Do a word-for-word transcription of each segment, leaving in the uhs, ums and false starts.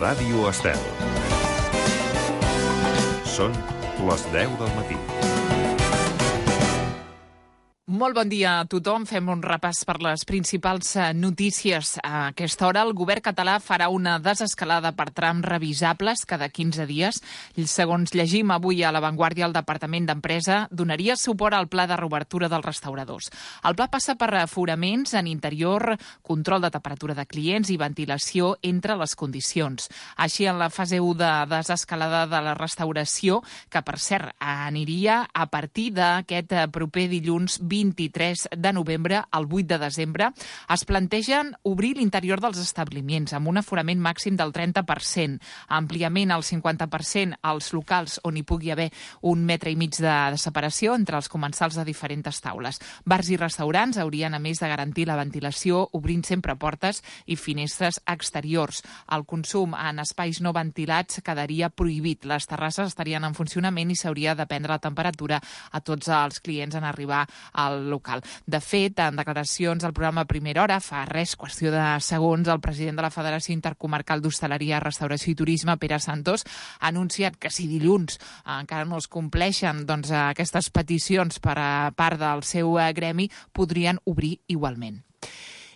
Ràdio Estel. Són les deu del matí. Molt bon dia a tothom. Fem un repàs per les principals notícies. A aquesta hora el govern català farà una desescalada per trams revisables cada quinze dies. Segons llegim avui a La Vanguardia, el Departament d'Empresa donaria suport al pla de reobertura dels restauradors. El pla passa per aforaments en interior, control de temperatura de clients i ventilació entre les condicions. Així, en la fase u de desescalada de la restauració, que per cert aniria a partir d'aquest proper dilluns vint-i-tres de novembre al vuit de desembre, es plantegen obrir l'interior dels establiments amb un aforament màxim del trenta per cent, ampliament al cinquanta per cent als locals on hi pugui haver un metre i mig de, de separació entre els comensals de diferents taules. Bars i restaurants haurien, a més de garantir la ventilació, obrint sempre portes i finestres exteriors. El consum en espais no ventilats quedaria prohibit. Les terrasses estarien en funcionament i s'hauria de prendre la temperatura a tots els clients en arribar al local. De fet, en declaracions al programa Primera Hora, fa res, qüestió de segons, el president de la Federació Intercomarcal d'Hostaleria, Restauració i Turisme, Pere Santos, ha anunciat que si dilluns encara no es compleixen doncs, aquestes peticions per a part del seu gremi, podrien obrir igualment.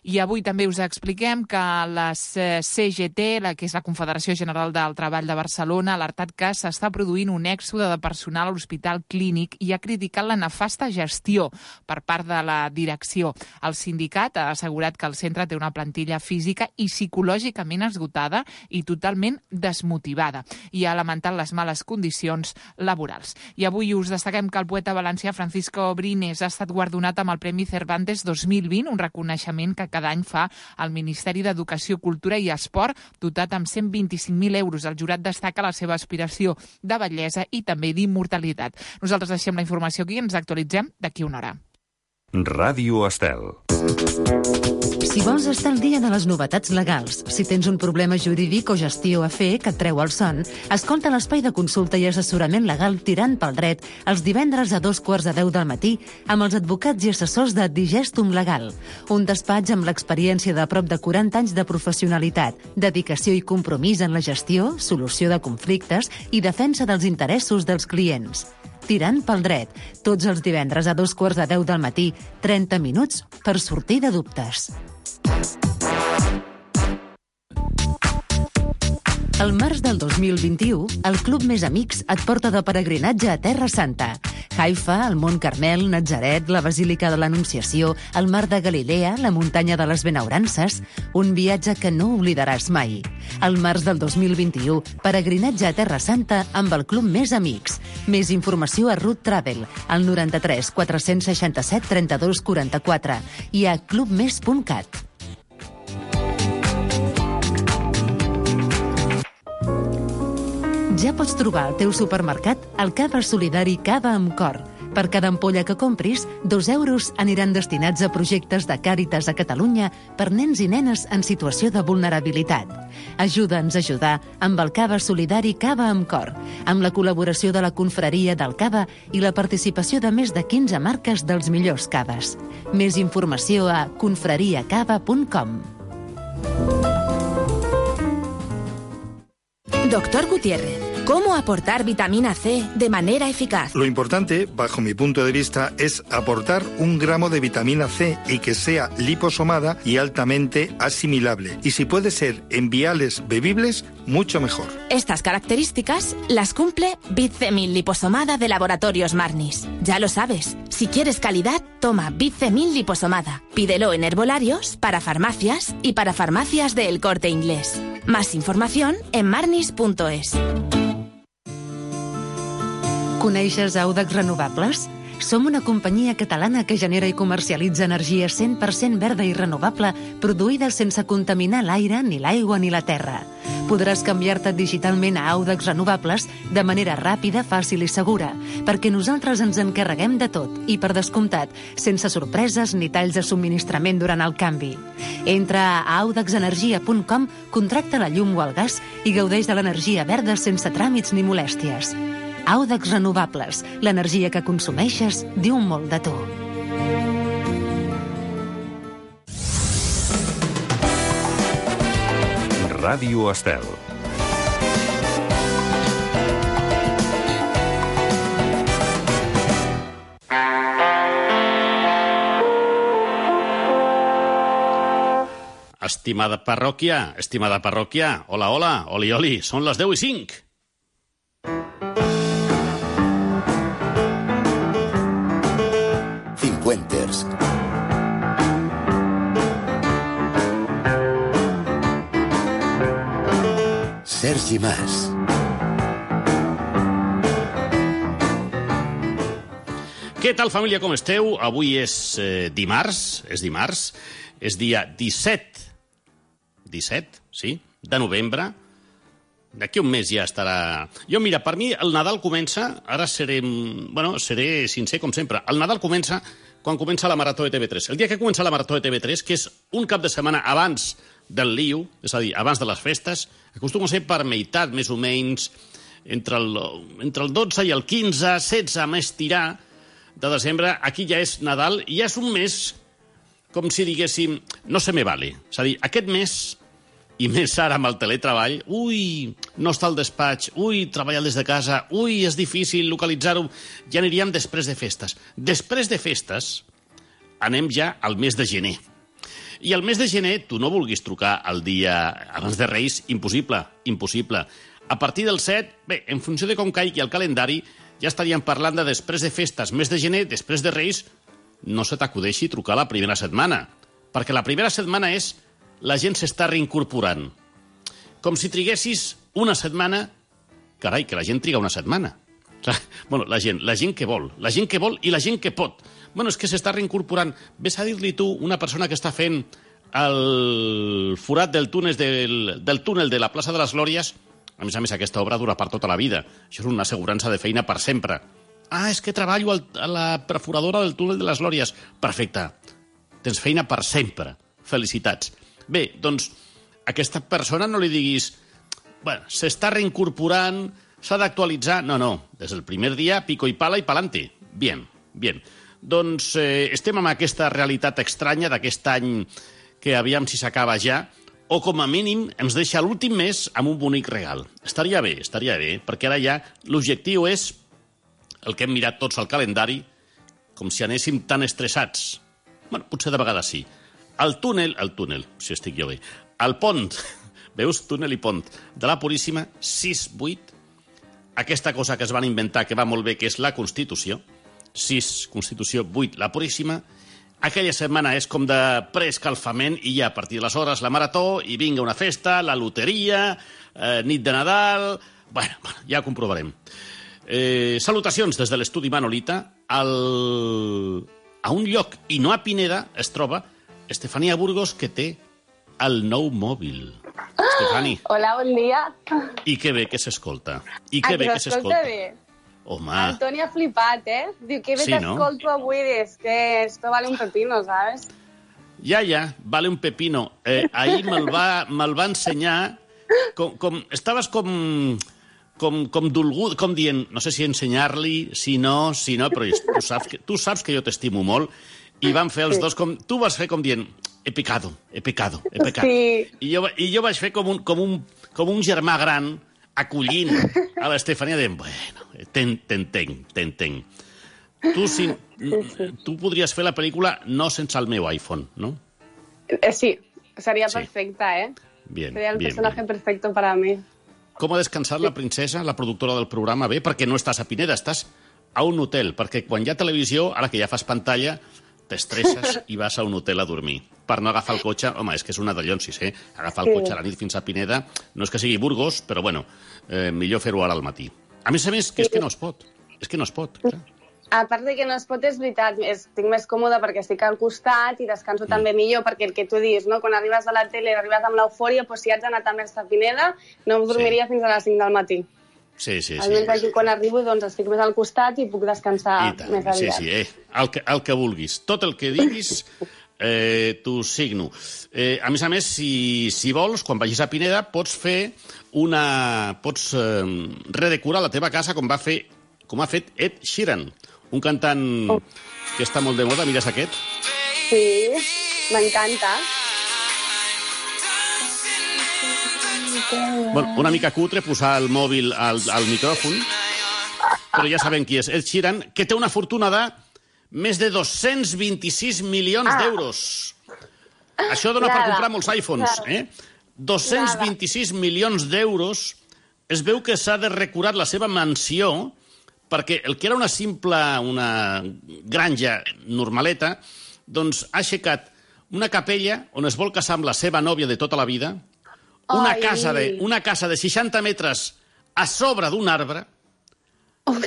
I avui també us expliquem que la C G T, la que és la Confederació General del Treball de Barcelona, ha alertat que s'està produint un èxode de personal a l'Hospital Clínic i ha criticat la nefasta gestió per part de la direcció. El sindicat ha assegurat que el centre té una plantilla física i psicològicament esgotada i totalment desmotivada i ha lamentat les males condicions laborals. I avui us destaquem que el poeta valencià Francisco Brines ha estat guardonat amb el Premi Cervantes dos mil vint, un reconeixement que cada any fa el Ministeri d'Educació, Cultura i Esport, dotat amb cent vint-i-cinc mil euros. El jurat destaca la seva aspiració de bellesa i també d'immortalitat. Nosaltres deixem la informació aquí i ens actualitzem d'aquí una hora. Ràdio Estel. Si vols estar al dia de les novetats legals, si tens un problema jurídic o gestió a fer que et treu el son, escolta l'espai de consulta i assessorament legal Tirant pel Dret els divendres a dos quarts de deu del matí amb els advocats i assessors de Digestum Legal, un despatx amb l'experiència de prop de quaranta anys de professionalitat, dedicació i compromís en la gestió, solució de conflictes i defensa dels interessos dels clients. Tirant pel Dret, tots els divendres a dos quarts de deu del matí, trenta minuts per sortir de dubtes. El març del dos mil vint-i-u, el Club Més Amics et porta de peregrinatge a Terra Santa. Haifa, el Mont Carmel, Natzaret, la Basílica de l'Anunciació, el Mar de Galilea, la Muntanya de les Benaurances, un viatge que no oblidaràs mai. El març del dos mil vint-i-u, peregrinatge a Terra Santa amb el Club Més Amics. Més informació a Root Travel, al noranta-tres quatre-cents seixanta-set trenta-dos quaranta-quatre i a clubmes punt cat. Ja pots trobar al teu supermercat el Cava Solidari Cava amb Cor. Per cada ampolla que compris, dos euros aniran destinats a projectes de Càritas a Catalunya per nens i nenes en situació de vulnerabilitat. Ajuda'ns a ajudar amb el Cava Solidari Cava amb Cor, amb la col·laboració de la Confraria del Cava i la participació de més de quinze marques dels millors caves. Més informació a confrariacava punt com. Doctor Gutiérrez, ¿cómo aportar vitamina C de manera eficaz? Lo importante, bajo mi punto de vista, es aportar un gramo de vitamina C y que sea liposomada y altamente asimilable. Y si puede ser en viales bebibles, mucho mejor. Estas características las cumple Bitcemil liposomada de Laboratorios Marnis. Ya lo sabes, si quieres calidad, toma Bitcemil liposomada. Pídelo en herbolarios, para farmacias y para farmacias de El Corte Inglés. Más información en marnis punto es. Coneixes Audax Renovables? Som una companyia catalana que genera i comercialitza energia cent per cent verda i renovable, produïda sense contaminar l'aire, ni l'aigua ni la terra. Podràs canviar-te digitalment a Audax Renovables de manera ràpida, fàcil i segura, perquè nosaltres ens encarreguem de tot i, per descomptat, sense sorpreses ni talls de subministrament durant el canvi. Entra a audax energia punt com, contracta la llum o el gas i gaudeix de l'energia verda sense tràmits ni molèsties. Audax Renovables, l'energia que consumeixes diu molt de tu. Ràdio Estel. estimada parròquia, estimada parròquia, hola, hola, oli, oli, són les deu i cinc. Cincuenters. Sergi Mas. Què tal, família, com esteu? Avui és eh, dimarts, és dimarts, és dia disset, disset, sí, de novembre. D'aquí un mes ja estarà... Jo, mira, per mi el Nadal comença, ara seré, bueno, seré sincer com sempre, el Nadal comença quan comença la Marató de T V tres. El dia que comença la Marató de T V tres, que és un cap de setmana abans del Liu, és a dir, abans de les festes, acostuma a ser per meitat, més o menys, entre el, entre el dotze i el quinze, setze, més tirar, de desembre, aquí ja és Nadal, i ja és un mes, com si diguéssim, no se me vale. És a dir, aquest mes, i més ara amb el teletreball, ui, no està al despatx, ui, treballar des de casa, ui, és difícil localitzar-ho, ja aniríem després de festes. Després de festes, anem ja al mes de gener. I el mes de gener, tu no vulguis trucar el dia abans de Reis, impossible, impossible. A partir del set, bé, en funció de com caigui el calendari, ja estaríem parlant de després de festes, mes de gener, després de Reis, no se t'acudeixi trucar la primera setmana, perquè la primera setmana és la gent s'està reincorporant. Com si triguessis una setmana... Carai, que la gent triga una setmana. Bueno, la gent, la gent que vol, la gent que vol i la gent que pot. Bueno, és que s'està reincorporant. Ves a dir-li tu, una persona que està fent el forat del túnel, del, del túnel de la plaça de les Glòries. A més a més, aquesta obra dura per tota la vida. Això és una assegurança de feina per sempre. Ah, és que treballo a la perforadora del túnel de les Glòries. Perfecte. Tens feina per sempre. Felicitats. Bé, doncs, a aquesta persona no li diguis... Bueno, s'està reincorporant, s'ha d'actualitzar... No, no. Des del primer dia, pico i pala i pa'lante. Bien, bien. Doncs eh, estem amb aquesta realitat estranya d'aquest any que aviam si s'acaba ja, o com a mínim ens deixa l'últim mes amb un bonic regal. Estaria bé, estaria bé, perquè ara ja l'objectiu és el que hem mirat tots al calendari, com si anéssim tan estressats. Bueno, potser de vegades sí. El túnel, el túnel, si estic jo bé, el pont, veus, túnel i pont, de la Puríssima, sis vuit, aquesta cosa que es van inventar, que va molt bé, que és la Constitució, sis, Constitució, vuit, la Puríssima. Aquella setmana és com de preescalfament i ja a partir de les hores la marató i vinga una festa, la loteria, eh, nit de Nadal... Bueno, bueno, ja ho comprovarem. Eh, salutacions des de l'estudi Manolita. Al... A un lloc, i no a Pineda, es troba Estefania Burgos, que té el nou mòbil. Estefani. Hola, bon dia. I que bé que s'escolta. I que bé que s'escolta. Bé. Home. Antoni ha flipat, eh? Diu, que bé sí, t'escolto no? avui, és que esto vale un pepino, ¿sabes? Ja, ja, vale un pepino. Eh, ahir me'l va, me'l va ensenyar, com, com, estaves com, com, com dolgut, com dient, no sé si ensenyar-li, si no, si no, però tu saps que, tu saps que jo t'estimo molt, i van fer els sí. dos com... Tu vas fer com dient, he pecado, he pecado, he pecado. Sí. I, jo, I jo vaig fer com un, com un, com un germà gran, acollint a l'Estefania de... Bueno, t'entenc, t'entenc. Tu, si, tu podries fer la pel·lícula no sense el meu iPhone, no? Sí, seria sí. perfecta, eh? Bien, seria el bien, personaje bien. perfecto para mí. Com ha descansat la princesa, la productora del programa? Bé, perquè no estàs a Pineda, estàs a un hotel, perquè quan hi ha televisió, ara que ja fas pantalla, t'estresses i vas a un hotel a dormir. Per no agafar el cotxe, home, és que és una de llonsis, eh? Agafar el sí. cotxe a la nit fins a Pineda, no és que sigui Burgos, però bueno, eh, millor fer-ho ara al matí. A més a més, que és que no es pot. És que no es pot. Clar. A part de que no es pot, és veritat, estic més còmode perquè estic al costat i descanso mm. també millor, perquè el que tu dius, no? Quan arribes a la tele, arribes amb l'eufòria, doncs si haig d'anar també a Pineda, no em dormiria sí. fins a les cinc del matí. Sí, sí, sí. Almenys aquí quan arribo, doncs estic més al costat i puc descansar més aviat. Sí, sí, eh? El que, el que vulguis. Tot el que diguis, eh, t'ho signo. Eh, a més a més, si, si vols, quan vagis a Pineda, pots fer una... Pots eh, redecorar la teva casa com va fer, com ha fet Ed Sheeran, un cantant oh. que està molt de moda. Mires aquest? Sí, m'encanta. Bueno, una mica cutre posar el mòbil al, al micròfon, però ja sabem qui és. Ed Sheeran, que té una fortuna de més de dos-cents vint-i-sis milions ah. d'euros. Això dona per Nada. comprar molts iPhones, eh? dos-cents vint-i-sis milions d'euros. Es veu que s'ha de recurar la seva mansió perquè el que era una simple una granja normaleta, doncs ha aixecat una capella on es vol casar amb la seva nòvia de tota la vida, una Ai. casa de, una casa de seixanta metres a sobre d'un arbre,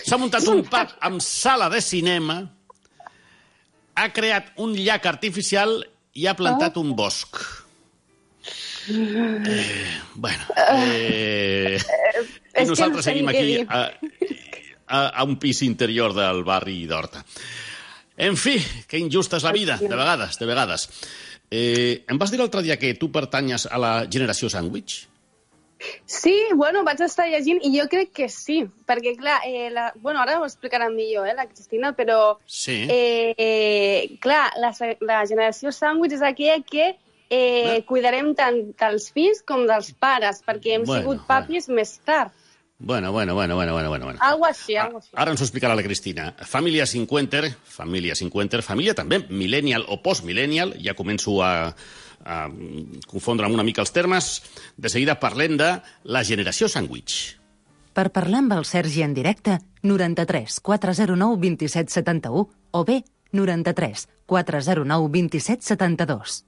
s'ha muntat un pub amb sala de cinema, ha creat un llac artificial i ha plantat un bosc. Eh, bueno, eh, i nosaltres seguim aquí a, a, a un pis interior del barri d'Horta. En fi, que injusta és la vida, de vegades, de vegades. Eh, em vas dir l'altre dia que tu pertanyes a la generació sàndwich? Sí, bueno, vaig estar llegint i jo crec que sí, perquè, clar, eh, la, bueno, ara ho explicaran millor, eh, la Cristina, però, Sí. eh, eh, clar, la, la generació sàndwich és aquella que eh, Eh. cuidarem tant dels fills com dels pares, perquè hem Bueno, sigut papis més tard. Bueno, bueno, bueno, bueno, bueno, bueno. Algo així, algo així. Ara ens ho explicarà la Cristina. Família cinquanta, família cinquanta, família també millennial o post-millennial, ja començo a, a confondre una mica els termes. De seguida parlem de la generació sàndwich. Per parlar amb el Sergi en directe, noranta-tres quatre zero nou dos set set u o bé noranta-tres quatre zero nou dos set set dos.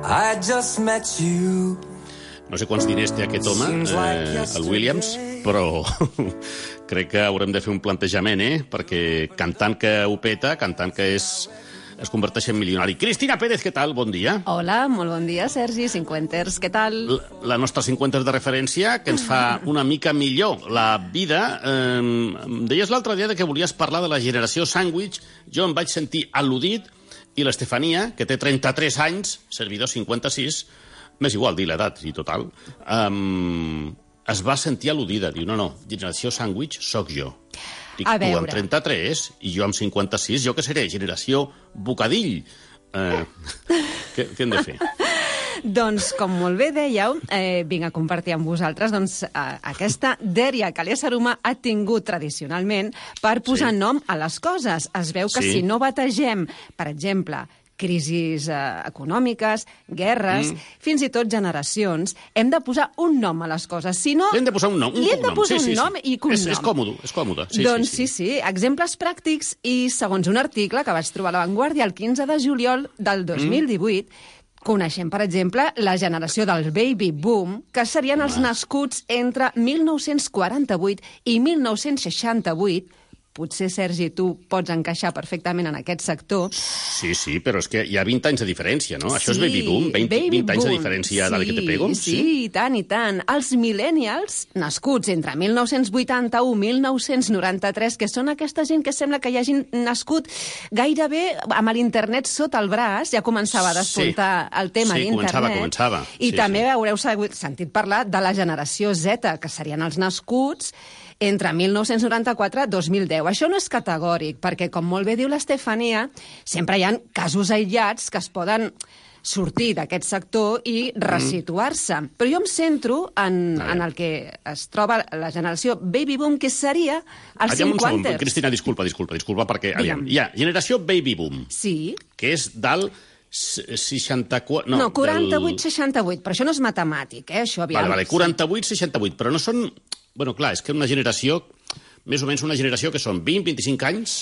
I just met you. No sé quants diners té aquest home, eh, el Williams, però crec que haurem de fer un plantejament, eh? Perquè cantant que ho peta, cantant que és, es converteix en milionari. Cristina Pérez, què tal? Bon dia. Hola, molt bon dia, Sergi, cinquanters, què tal? La, la nostra cinquanta de referència, que ens fa una mica millor la vida. Eh, em deies l'altre dia que volies parlar de la generació sàndwich. Jo em vaig sentir al·ludit i l'Estefania, que té trenta-tres anys, servidor cinquanta-sis, m'és igual dir l'edat, i total, um, es va sentir al·ludida. Diu, no, no, generació sàndwich sóc jo. Dic, A tu veure. amb trenta-tres i jo amb cinquanta-sis, jo què seré? Generació bocadill. Eh, què, què hem de fer? Doncs, com molt bé dèieu, eh, vinc a compartir amb vosaltres doncs, eh, aquesta dèria que l'ésser humà ha tingut tradicionalment per posar Sí. nom a les coses. Es veu que Sí. si no bategem, per exemple, crisis eh, econòmiques, guerres, Mm. fins i tot generacions, hem de posar un nom a les coses. Si no, Li hem de posar un nom, un li hem de cognom. posar Sí, sí, un sí. nom i cognom. És, és còmode, és còmode. Sí, doncs sí, sí, sí, exemples pràctics i segons un article que vaig trobar a La Vanguardia el quinze de juliol del dos mil divuit, coneixem, per exemple, la generació del baby boom, que serien els nascuts entre mil nou-cents quaranta-vuit i mil nou-cents seixanta-vuit. Potser, Sergi, tu pots encaixar perfectament en aquest sector. Sí, sí, però és que hi ha vint anys de diferència, no? Això és Sí, baby boom, vint, baby vint anys de boom. diferència sí, de que te pego? Sí, sí, i tant, i tant. Els millennials, nascuts entre mil nou-cents vuitanta-u i mil nou-cents noranta-tres, que són aquesta gent que sembla que hi hagin nascut gairebé amb l'internet sota el braç, ja començava a despuntar el tema Sí, d'internet. començava, començava. I Sí, també sí. haureu sabut- sentit parlar de la generació Z, que serien els nascuts entre mil nou-cents noranta-quatre i dos mil deu. Això no és categòric, perquè, com molt bé diu l'Estefania, sempre hi ha casos aïllats que es poden sortir d'aquest sector i resituar-se. Però jo em centro en, en el que es troba la generació baby boom, que seria els Aviam un segon, cinquanters. Cristina, disculpa, disculpa, disculpa, perquè aviam, Digue'm. hi ha generació baby boom, Sí. que és del s- seixanta-quatre... No, No, no quaranta-vuit seixanta-vuit, però això no és matemàtic, eh? Això, aviam. Vale, vale, quaranta-vuit seixanta-vuit, però no són... Bueno, clar, és que una generació, més o menys una generació que són vint vint-i-cinc anys...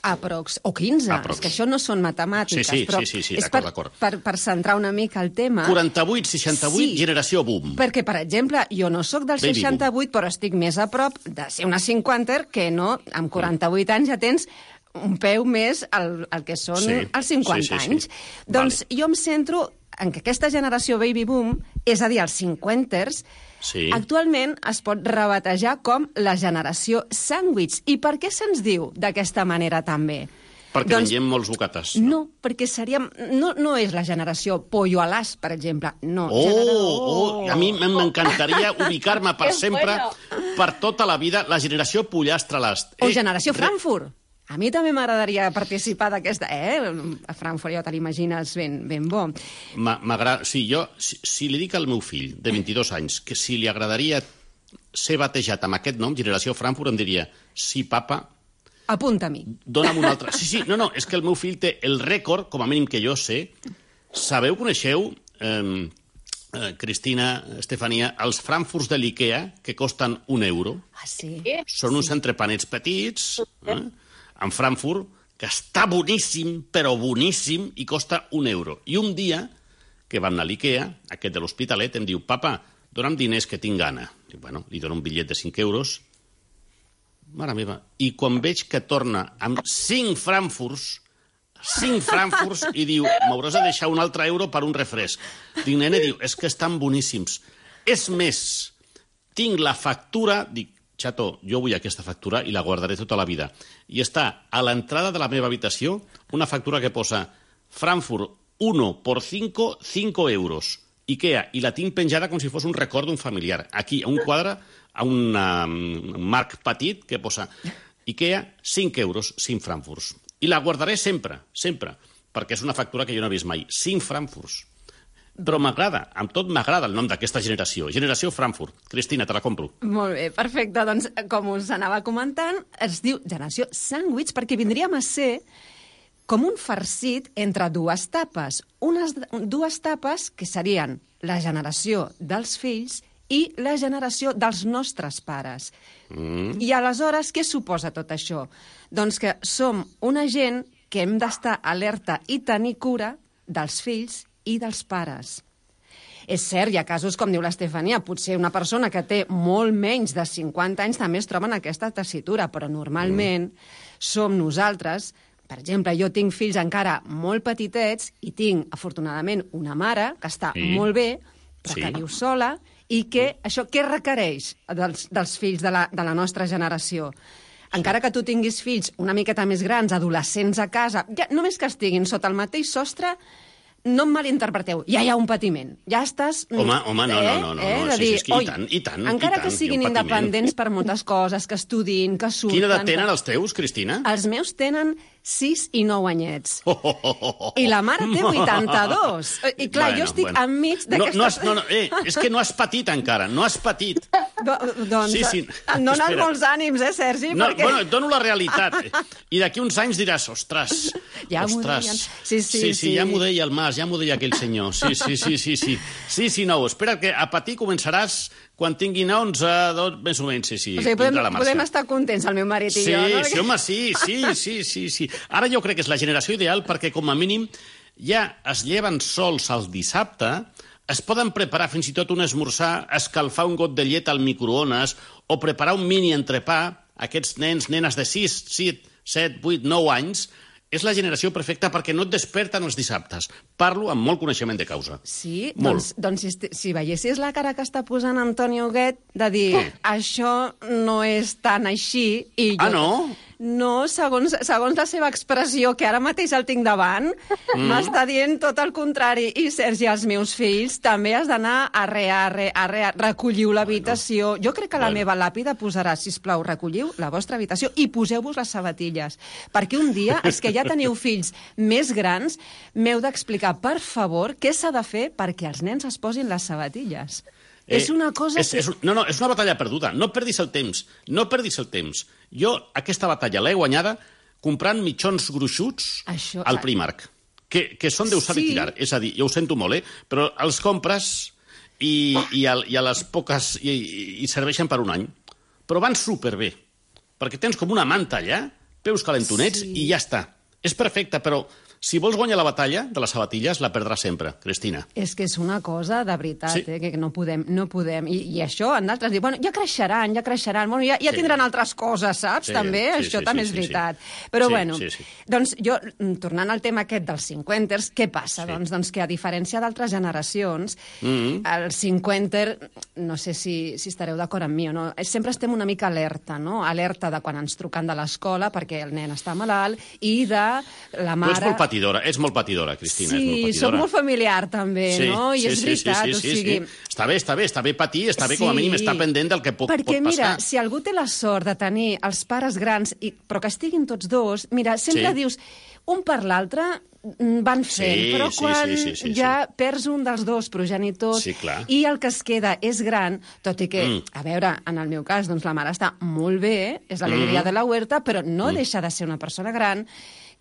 Aprox, o quinze, Aprox. és que això no són matemàtiques, Sí, sí, però sí, sí, sí, és d'acord, per, d'acord. per, per centrar una mica el tema. quaranta-vuit seixanta-vuit, Sí. generació boom. Perquè, per exemple, jo no sóc del Baby seixanta-vuit, però estic més a prop de ser una cinquanter que no, amb quaranta-vuit anys ja tens un peu més al, al que són Sí, els cinquanta sí, sí, sí. anys. Doncs jo em centro en que aquesta generació baby boom, és a dir, els cinquanters, Sí. actualment es pot rebatejar com la generació sàndwich. I per què se'ns diu d'aquesta manera també? Perquè Doncs- mengem molts bocates. No, perquè seríem... No, no és la generació pollo a l'as, per exemple. No. Oh, genera- oh, a mi m'encantaria ubicar-me per Que sempre, bueno. per tota la vida, la generació pollastre a l'ast. O generació Frankfurt. A mi també m'agradaria participar d'aquesta... Eh? A Frankfurt ja te l'imagines ben, ben bo. M'agrada... Sí, jo, si, si li dic al meu fill, de vint-i-dos anys, que si li agradaria ser batejat amb aquest nom, Generació Frankfurt, em diria, sí, papa... Apunta a mi. Dóna'm un altre... Sí, sí, no, no, és que el meu fill té el rècord, com a mínim que jo sé. Sabeu, coneixeu, eh, eh, Cristina, Estefania, els Frankfurts de l'IKEA, que costen un euro? Ah, sí? Són uns entrepanets petits... Eh? En Frankfurt, que està boníssim, però boníssim, i costa un euro. I un dia, que vam anar a l'IKEA, aquest de l'Hospitalet, em diu, papa, dona'm diners que tinc gana. Dic, bueno, li dono un bitllet de cinc euros. Mare meva. I quan veig que torna amb cinc Frankfurts, cinc Frankfurts, i diu, m'hauràs de deixar un altre euro per un refresc. Dic, nene, diu, és que estan boníssims. És més, tinc la factura, dic, xato, jo vull aquesta factura i la guardaré tota la vida. I està a l'entrada de la meva habitació una factura que posa Frankfurt uno por cinco, cinco euros. IKEA, i la tinc penjada com si fos un record d'un familiar. Aquí, a un quadre, a un um, marc petit que posa IKEA, cinc euros, cinc Frankfurts. I la guardaré sempre, sempre, perquè és una factura que jo no he vist mai. cinc Frankfurts. Però m'agrada, amb tot m'agrada el nom d'aquesta generació. Generació Frankfurt. Cristina, te la compro. Molt bé, perfecte. Doncs, com us anava comentant, es diu generació sàndwich perquè vindríem a ser com un farcit entre dues tapes. Unes dues tapes que serien la generació dels fills i la generació dels nostres pares. Mm. I aleshores, què suposa tot això? Doncs que som una gent que hem d'estar alerta i tenir cura dels fills i dels pares. És cert, hi ha casos, com diu l'Estefania, potser una persona que té molt menys de cinquanta anys també es troba en aquesta tessitura, però normalment mm. som nosaltres. Per exemple, jo tinc fills encara molt petitets i tinc, afortunadament, una mare que està sí. molt bé, però sí. que viu sola, i que això què requereix dels, dels fills de la, de la nostra generació? Encara que tu tinguis fills una miqueta més grans, adolescents a casa, ja, només que estiguin sota el mateix sostre, no em malinterpreteu, ja hi ha un patiment. Ja estàs... Home, home, no, eh? no, no, no, eh? no. Sí, dir, sí, és que i tant, i tant, encara i tant, que siguin independents per moltes coses, que estudin, que surten... Quina edat tenen els teus, Cristina? Els meus tenen sis i nou anyets. Oh, oh, oh, oh. I la mare té vuitanta-dos. I clar, bueno, jo estic bueno. enmig d'aquesta... No, no, no, eh, és que no has patit encara, no has patit. Do, doncs, sí, sí. em donen Espera. molts ànims, eh, Sergi? No, perquè... Bueno, et dono la realitat. I d'aquí uns anys diràs, ostres, ja ostres. Sí, sí, sí, sí, sí, ja m'ho deia el Mas, ja m'ho deia aquell senyor. Sí, sí, sí, sí, sí. Sí, sí, no, espera, que a patir començaràs quan tingui onze, dos, més o menys, sí, sí. O sigui, podem, podem estar contents, el meu marit i sí, jo, no? Sí, home, sí, sí, sí, sí, sí. Ara jo crec que és la generació ideal perquè, com a mínim, ja es lleven sols el dissabte, es poden preparar fins i tot un esmorzar, escalfar un got de llet al microones o preparar un mini entrepà. Aquests nens, nenes de sis, set, vuit, nou anys, és la generació perfecta perquè no et desperten els dissabtes. Parlo amb molt coneixement de causa. Sí? Molt. Doncs, doncs si, si veiessis la cara que està posant Antoni Huguet de dir, oh. això no és tan així... I jo... Ah, no? No, segons, segons la seva expressió, que ara mateix el tinc davant, mm. m'està dient tot el contrari. I, Sergi, els meus fills també has d'anar arre, arre, arre, recolliu l'habitació. Bueno. Jo crec que la bueno. meva làpida posarà, sisplau, recolliu la vostra habitació i poseu-vos les sabatilles. Perquè un dia, els que ja teniu fills més grans, m'heu d'explicar, per favor, què s'ha de fer perquè els nens es posin les sabatilles. Eh, és una cosa és, que... És, no, no, és una batalla perduda. No perdis el temps. No perdis el temps. Jo aquesta batalla l'he guanyada comprant mitjons gruixuts Això... al Primark, que, que són d'usar sí. i tirar. És a dir, jo ho sento molt, eh? Però els compres i, i, a, i a les poques... I, i serveixen per un any. Però van superbé, perquè tens com una manta allà, peus calentonets sí. i ja està. És perfecte, però... Si vols guanyar la batalla de les sabatilles, la perdràs sempre, Cristina. És que és una cosa de veritat, sí. eh, que no podem. No podem. I, i això, en d'altres diuen, bueno, ja creixeran, ja creixeran, bueno, ja, ja sí. tindran altres coses, saps? Sí, també, sí, això sí, també sí, és veritat. Sí, sí. Però, sí, bueno, sí, sí. doncs jo, tornant al tema aquest dels cinquanters, què passa? Sí. Doncs, doncs que a diferència d'altres generacions, mm-hmm. el cinquanter, no sé si, si estareu d'acord amb mi o no, sempre estem una mica alerta, no? Alerta de quan ens truquen de l'escola perquè el nen està malalt i de la mare... Tu ets molt patidora, ets molt patidora, Cristina, sí, és molt patidora. Sí, soc molt familiar, també, sí, no? I sí, és sí, veritat, sí, sí, o sigui... Sí, sí. Està bé, està bé, està bé patir, està bé sí, com a mínim estar pendent del que pot, perquè, pot passar. Perquè, mira, si algú té la sort de tenir els pares grans, i, però que estiguin tots dos, mira, sempre sí. dius, un per l'altre van fent, sí, però sí, quan sí, sí, sí, ja sí. perds un dels dos progenitors sí, i el que es queda és gran, tot i que, mm. a veure, en el meu cas, doncs la mare està molt bé, és l'alegria mm. de la huerta, però no mm. deixa de ser una persona gran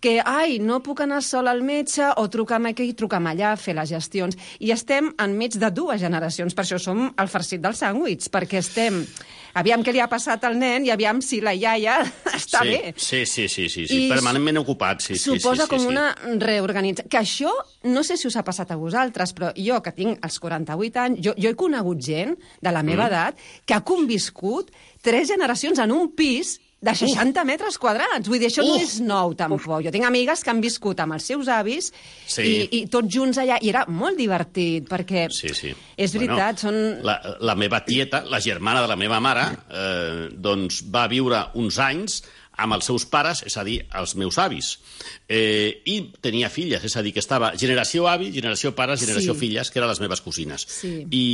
que, ai, no puc anar sol al metge o truca'm aquí, truca'm allà, fer les gestions. I estem enmig de dues generacions, per això som el farcit del sàndwich, perquè estem... Aviam què li ha passat al nen i aviam si la iaia està sí, bé. Sí, sí, sí, sí, sí. permanentment ocupat. Sí, suposa sí, sí, com sí, una reorganització. Que això, no sé si us ha passat a vosaltres, però jo, que tinc els quaranta-vuit anys, jo, jo he conegut gent de la meva mm. edat que ha conviscut tres generacions en un pis de seixanta Uf. metres quadrats. Vull dir, això Uf. no és nou, tampoc. Jo tinc amigues que han viscut amb els seus avis sí. i, i tots junts allà, i era molt divertit, perquè sí, sí. és veritat, bueno, són... La, la meva tieta, la germana de la meva mare, eh, doncs va viure uns anys amb els seus pares, és a dir, els meus avis. Eh, I tenia filles, és a dir, que estava generació avi, generació pares, generació sí. filles, que eren les meves cosines. Sí. I,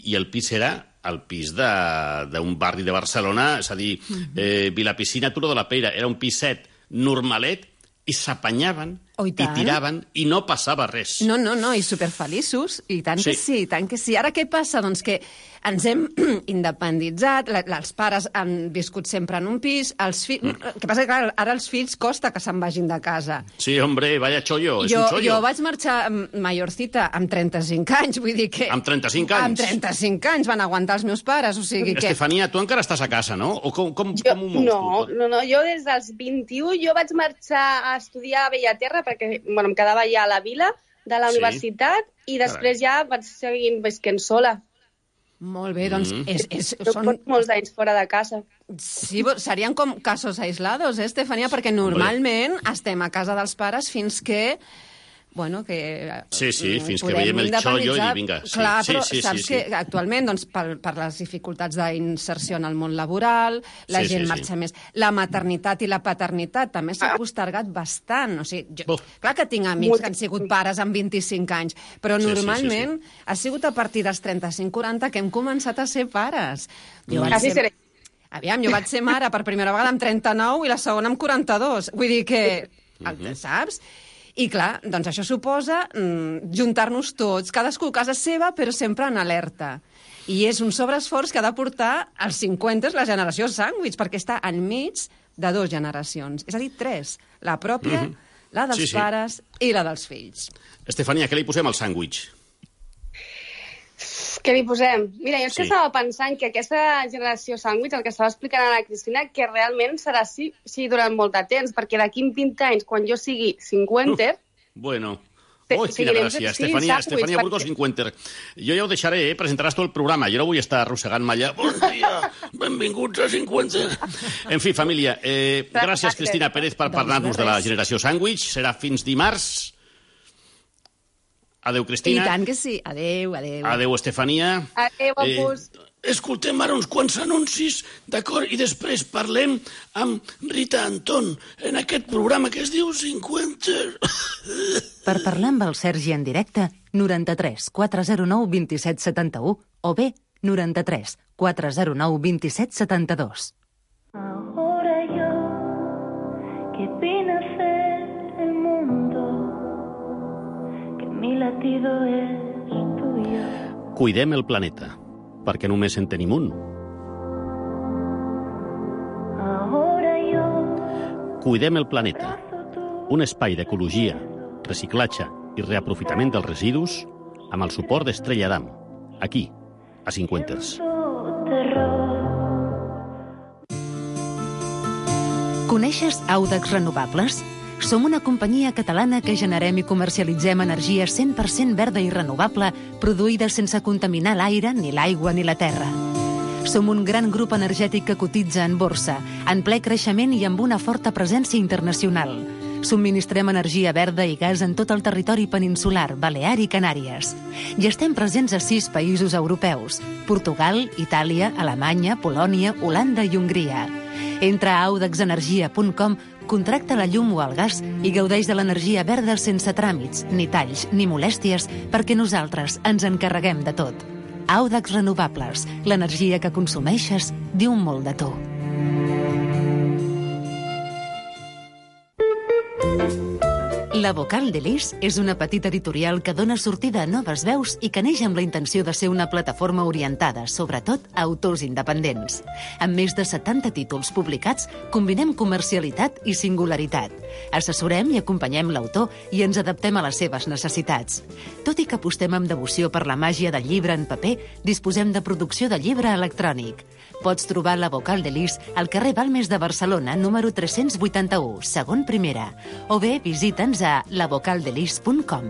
I el pis era el pis d'un barri de Barcelona, és a dir, eh, Vilapicina, Turó de la Peira, era un piset normalet i s'apanyaven oh, i, i tiraven i no passava res. No, no, no, i superfeliços, i tant sí. que sí, i tant que sí. Ara què passa? Doncs que ens hem independitzat, la, els pares han viscut sempre en un pis, els fills... Mm. El que passa que clar, ara els fills costa que se'n vagin de casa. Sí, hombre, vaya chollo, és jo, un chollo. Jo vaig marxar mayorcita amb trenta-cinc anys, vull dir que... Amb trenta-cinc anys? Amb trenta-cinc anys van aguantar els meus pares, o sigui que... Estefania, tu encara estàs a casa, no? O com, com, jo, com ho mous, no, tu? no, no, jo des dels vint-i-u jo vaig marxar a estudiar a Bellaterra perquè bueno, em quedava ja a la vila de la sí. universitat i després Carai. ja vaig seguir visquent sola. Molt bé, doncs... Mm. És, és, jo són... porto molts anys fora de casa. Sí, serien com casos aislados, eh, Estefania? Perquè normalment Hombre. estem a casa dels pares fins que... Bueno, que... Sí, sí, fins que veiem el xollo i vinga. Sí, Clar, però sí, sí, saps sí, sí. que actualment, doncs, per, per les dificultats d'inserció en el món laboral, la sí, gent sí, marxa sí. més. La maternitat i la paternitat també s'ha postergat bastant. O sigui, jo, clar que tinc amics que han sigut pares amb vint-i-cinc anys, però sí, normalment sí, sí, sí. ha sigut a partir dels trenta-cinc quaranta que hem començat a ser pares. Jo mm. vaig ser... Aviam, jo vaig ser mare per primera vegada amb trenta-nou i la segona amb quaranta-dos. Vull dir que... Mm-hmm. Saps? I clar, doncs això suposa mm, juntar-nos tots, cadascú a casa seva, però sempre en alerta. I és un sobreesforç que ha de portar als cinquanta la generació sàndwich, perquè està enmig de dues generacions. És a dir, tres. La pròpia, mm-hmm. la dels sí, sí. pares i la dels fills. Estefania, què li posem al sàndwich? Què li posem? Mira, jo és que sí. estava pensant que aquesta generació sàndwich, el que estava explicant a la Cristina, que realment serà així, així durant molt de temps, perquè d'aquí en vint anys, quan jo sigui cinquanta... Uh, bueno... Oh, quina gràcia. Estefania, Estefania Burgos, cinquanta. Jo ja ho deixaré, eh? Presentaràs tot el programa. Jo no vull estar arrossegant-me allà. Bon dia, benvinguts a cinquanta. En fi, família, eh, gràcies, Cristina Pérez, per parlar-nos de la generació sàndwich. Serà fins dimarts. Adéu, Cristina. I tant que sí. Adéu, adéu. Adéu, Estefania. Adéu, Opus. Eh, escoltem ara uns quants anuncis, d'acord? I després parlem amb Rita Anton en aquest programa que es diu cinquanta. Per parlar amb el Sergi en directe, noranta-tres quatre zero nou dos set set u o bé noranta-tres quatre zero nou dos set set dos. Ahora yo, que vine a ser el mundo, que mi latido es tuyo. Cuidem el planeta, perquè només en tenim un. Ahora yo, Cuidem el planeta, un espai d'ecologia, reciclatge i reaprofitament dels residus amb el suport d'Estrella Damm, aquí, a Cinquenters. Coneixes Audax Renovables? Som una companyia catalana que generem i comercialitzem energia cent per cent verda i renovable, produïda sense contaminar l'aire, ni l'aigua, ni la terra. Som un gran grup energètic que cotitza en borsa, en ple creixement i amb una forta presència internacional. Subministrem energia verda i gas en tot el territori peninsular, Balear i Canàries. I estem presents a sis països europeus: Portugal, Itàlia, Alemanya, Polònia, Holanda i Hongria. Entra a audax energia punt com, contracta la llum o el gas i gaudeix de l'energia verda sense tràmits, ni talls, ni molèsties, perquè nosaltres ens encarreguem de tot. Audax Renovables, l'energia que consumeixes diu molt de tu. La Vocal de Lis és una petita editorial que dona sortida a noves veus i que neix amb la intenció de ser una plataforma orientada, sobretot, a autors independents. Amb més de setanta títols publicats, combinem comercialitat i singularitat. Assessorem i acompanyem l'autor i ens adaptem a les seves necessitats. Tot i que apostem amb devoció per la màgia del llibre en paper, disposem de producció de llibre electrònic. Pots trobar La Vocal de Lis al carrer Balmes de Barcelona, número tres-cents vuitanta-u, segon primera, o bé visita'ns a la vocal de lis punt com.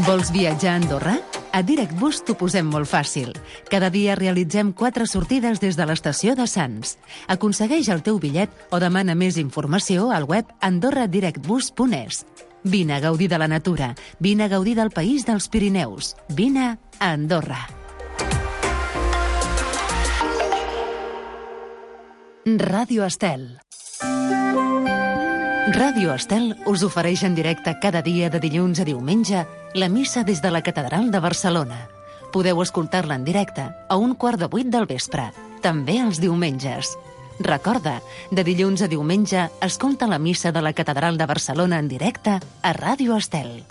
Vols viatjar a Andorra? A DirectBus t'ho posem molt fàcil. Cada dia realitzem quatre sortides des de l'estació de Sants. Aconsegueix el teu bitllet o demana més informació al web andorra direct bus punt es. Vine a gaudir de la natura, vine a gaudir del país dels Pirineus, vine a Andorra. Ràdio Estel. Ràdio Estel us ofereix en directe cada dia de dilluns a diumenge la missa des de la Catedral de Barcelona. Podeu escoltar-la en directe a un quart de vuit del vespre, també els diumenges. Recorda, de dilluns a diumenge, escolta la missa de la Catedral de Barcelona en directe a Ràdio Estel.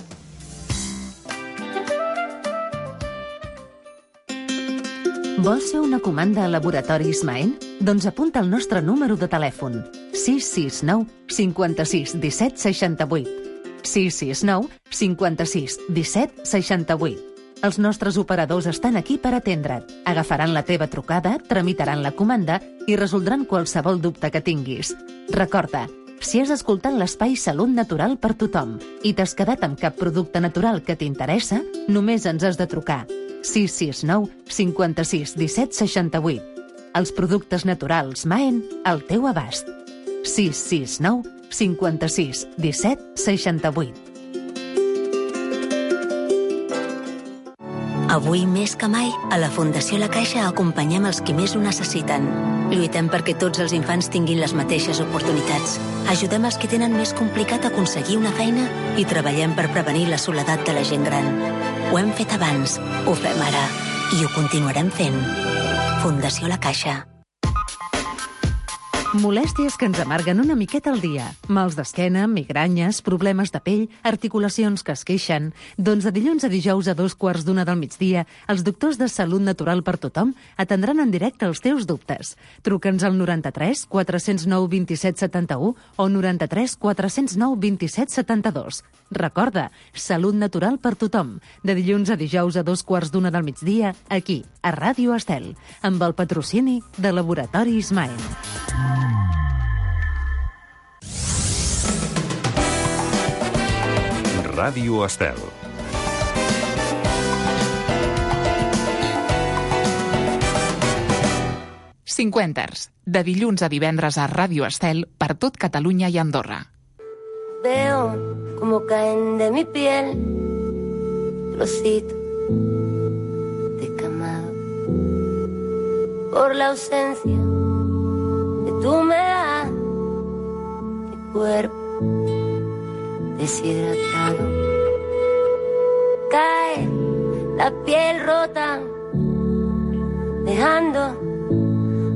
Vols fer una comanda a Laboratoris Maen? Doncs apunta el nostre número de telèfon sis sis nou cinquanta-sis disset seixanta-vuit. sis sis nou cinquanta-sis disset seixanta-vuit. Els nostres operadors estan aquí per atendre't. Agafaran la teva trucada, tramitaran la comanda i resoldran qualsevol dubte que tinguis. Recorda, si has escoltat l'espai Salut Natural per tothom i t'has quedat amb cap producte natural que t'interessa, només ens has de trucar sis sis nou cinquanta-sis disset seixanta-vuit. Els productes naturals Maen al teu abast. sis sis nou cinquanta-sis disset seixanta-vuit. Avui més que mai, a la Fundació La Caixa acompanyem els qui més ho necessiten. Lluitem perquè tots els infants tinguin les mateixes oportunitats. Ajudem els que tenen més complicat aconseguir una feina i treballem per prevenir la soledat de la gent gran. Ho hem fet abans, ho fem ara i ho continuarem fent. Fundació La Caixa. Molèsties que ens amarguen una miqueta al dia. Mals d'esquena, migranyes, problemes de pell, articulacions que es queixen. Doncs de dilluns a dijous a dos quarts d'una del migdia, els doctors de Salut Natural per tothom atendran en directe els teus dubtes. Truca'ns al noranta-tres quatre zero nou vint-i-set setanta-u o noranta-tres quatre zero nou vint-i-set setanta-dos. Recorda, Salut Natural per tothom. De dilluns a dijous a dos quarts d'una del migdia, aquí, a Ràdio Estel, amb el patrocini de Laboratoris Maen. Ràdio Estel. Cinquenters, de dilluns a divendres a Ràdio Estel per tot Catalunya i Andorra. Veo como caen de mi piel trocitos de camado por la ausencia de tu humedad, mi cuerpo deshidratado. Cae la piel rota, dejando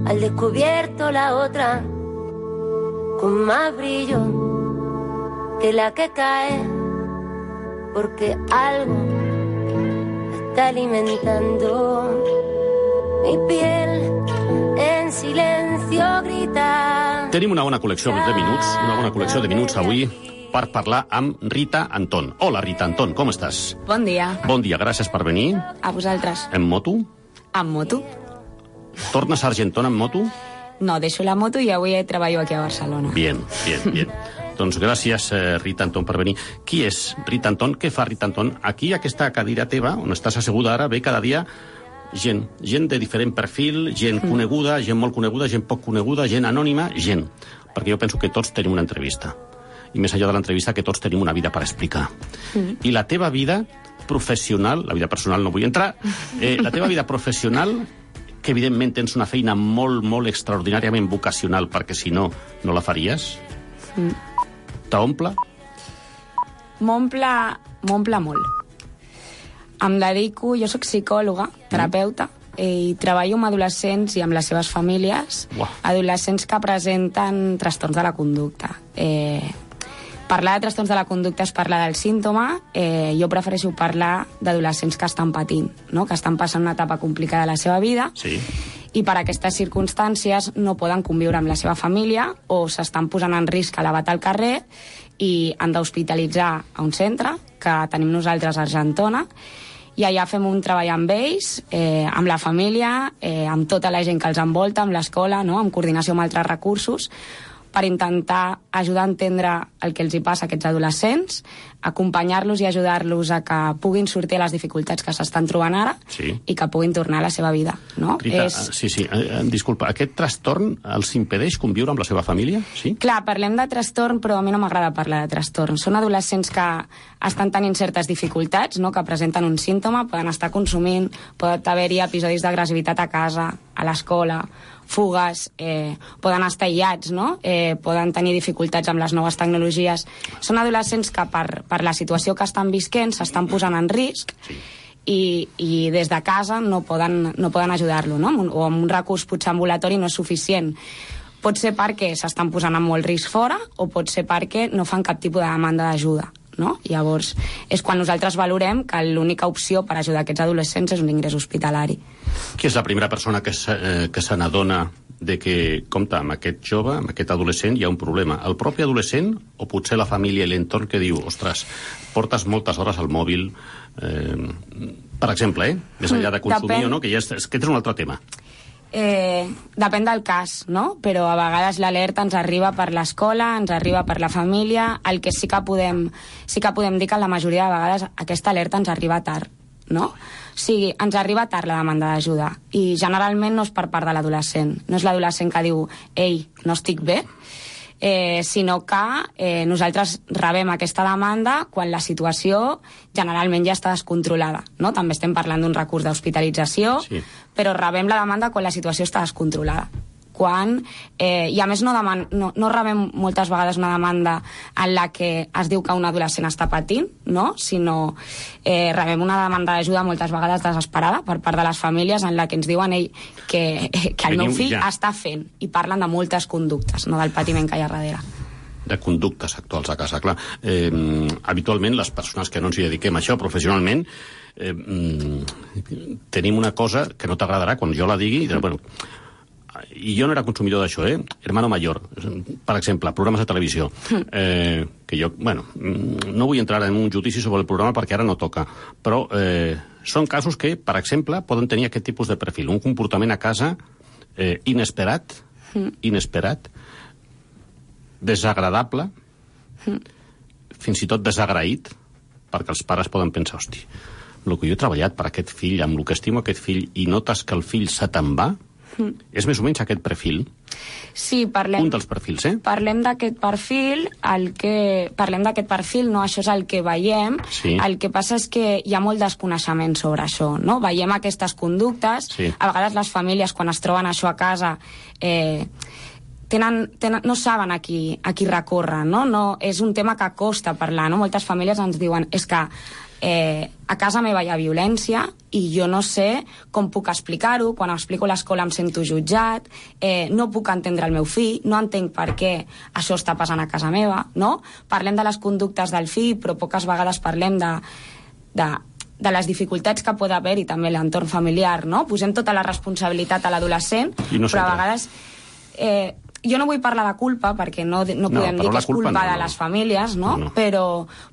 al descubierto la otra con más brillo que la que cae, porque algo está alimentando mi piel. En silencio grita. Tenim una bona col·lecció de minuts, una bona col·lecció de minuts avui per parlar amb Rita Anton. Hola, Rita Anton, com estàs? Bon dia. Bon dia, gràcies per venir. A vosaltres. En moto? En moto. Tornes a Argentona en moto? No, deixo la moto i avui treballo aquí a Barcelona. Bien, bien, bien. Doncs gràcies, eh, Rita Anton, per venir. Qui és Rita Anton? Què fa Rita Anton? Aquí, aquesta cadira teva, on estàs asseguda ara, ve cada dia gent, gent de diferent perfil, gent mm. coneguda, gent molt coneguda, gent poc coneguda, gent anònima, gent. Perquè jo penso que tots tenim una entrevista. I més allà de l'entrevista, que tots tenim una vida per explicar. Mm. I la teva vida professional, la vida personal no vull entrar, eh, la teva vida professional, que evidentment tens una feina molt, molt extraordinàriament vocacional, perquè si no, no la faries, mm. t'omple? M'omple, m'omple molt. Em dedico, jo sóc psicòloga, terapeuta, i treballo amb adolescents i amb les seves famílies, Uah. adolescents que presenten trastorns de la conducta. Eh, parlar de trastorns de la conducta és parlar del símptoma, eh, jo prefereixo parlar d'adolescents que estan patint, no? que estan passant una etapa complicada de la seva vida, sí. i per aquestes circumstàncies no poden conviure amb la seva família o s'estan posant en risc elevat al carrer i han d'hospitalitzar a un centre que tenim nosaltres a Argentona, i allà fem un treball amb ells, eh, amb la família, eh, amb tota la gent que els envolta, amb l'escola, no? en coordinació amb altres recursos, per intentar ajudar a entendre el que els hi passa a aquests adolescents, acompanyar-los i ajudar-los a que puguin sortir a les dificultats que s'estan trobant ara sí. i que puguin tornar a la seva vida. No? Rita, és... sí, sí, eh, disculpa, aquest trastorn els impedeix conviure amb la seva família? Sí? Clar, parlem de trastorn, però a mi no m'agrada parlar de trastorn. Són adolescents que estan tenint certes dificultats, no? que presenten un símptoma, poden estar consumint, pot haver-hi episodis d'agressivitat a casa, a l'escola, fugues, eh, poden estar aïllats, no? eh, poden tenir dificultats amb les noves tecnologies. Són adolescents que per, per la situació que estan visquent s'estan posant en risc sí. i, i des de casa no poden, no poden ajudar-lo, no? O amb un recurs potser ambulatori no és suficient. Pot ser perquè s'estan posant en molt risc fora o pot ser perquè no fan cap tipus de demanda d'ajuda. No? Llavors, és quan nosaltres valorem que l'única opció per ajudar aquests adolescents és un ingrés hospitalari. Qui és la primera persona que se, eh, que se n'adona de que, compte, amb aquest jove, amb aquest adolescent hi ha un problema? El propi adolescent o potser la família i l'entorn que diu, ostres, portes moltes hores al mòbil, eh, per exemple, eh? més enllà de consumir Depèn... o no, que ja és, és, que és un altre tema. Eh, depèn del cas, no? Però a vegades l'alerta ens arriba per l'escola, ens arriba per la família. El que sí que podem, sí que podem dir que la majoria de vegades aquesta alerta ens arriba tard, no? O sigui, ens arriba tard la demanda d'ajuda i generalment no és per part de l'adolescent. No és l'adolescent que diu, ei, no estic bé, eh, sinó que eh, nosaltres rebem aquesta demanda quan la situació generalment ja està descontrolada, no? També estem parlant d'un recurs d'hospitalització, sí. però rebem la demanda quan la situació està descontrolada. Quan, eh, i a més no, deman, no, no rebem moltes vegades una demanda en la que es diu que un adolescent està patint, no? Sinó eh, rebem una demanda d'ajuda moltes vegades desesperada per part de les famílies en la que ens diuen ell que, que el meu fill ja. està fent, i parlen de moltes conductes, no del patiment que hi ha darrere. De conductes actuals a casa, clar. Eh, habitualment les persones que no ens hi dediquem a això professionalment eh, tenim una cosa que no t'agradarà quan jo la digui i diré, bueno, i jo no era consumidor d'això, eh? Hermano Mayor, per exemple, programes de televisió. Eh, que jo, bueno, no vull entrar en un judici sobre el programa perquè ara no toca, però eh, són casos que, per exemple, poden tenir aquest tipus de perfil. Un comportament a casa eh, inesperat, inesperat, desagradable, fins i tot desagraït, perquè els pares poden pensar, hosti, el que jo he treballat per aquest fill, amb el que estimo aquest fill, i notes que el fill se te'n va, Mm. és més o menys aquest perfil? Sí, parlem... Un dels perfils, eh? Parlem d'aquest perfil, el que... Parlem d'aquest perfil, no? Això és el que veiem. Sí. El que passa és que hi ha molt desconeixement sobre això, no? Veiem aquestes conductes. Sí. A vegades les famílies, quan es troben això a casa, eh, tenen, tenen, no saben a qui, a qui recórrer, no? No? És un tema que costa parlar, no? Moltes famílies ens diuen, és que Eh, a casa meva hi ha violència i jo no sé com puc explicar-ho. Quan explico a l'escola em sento jutjat, eh, no puc entendre el meu fill, no entenc per què això està passant a casa meva, no? Parlem de les conductes del fill, però poques vegades parlem de, de, de les dificultats que pot haver i també l'entorn familiar, no? Posem tota la responsabilitat a l'adolescent, no però a vegades... Eh, jo no vull parlar de culpa, perquè no, no podem no, dir que és culpa, culpa no, de les famílies, no? no. Però,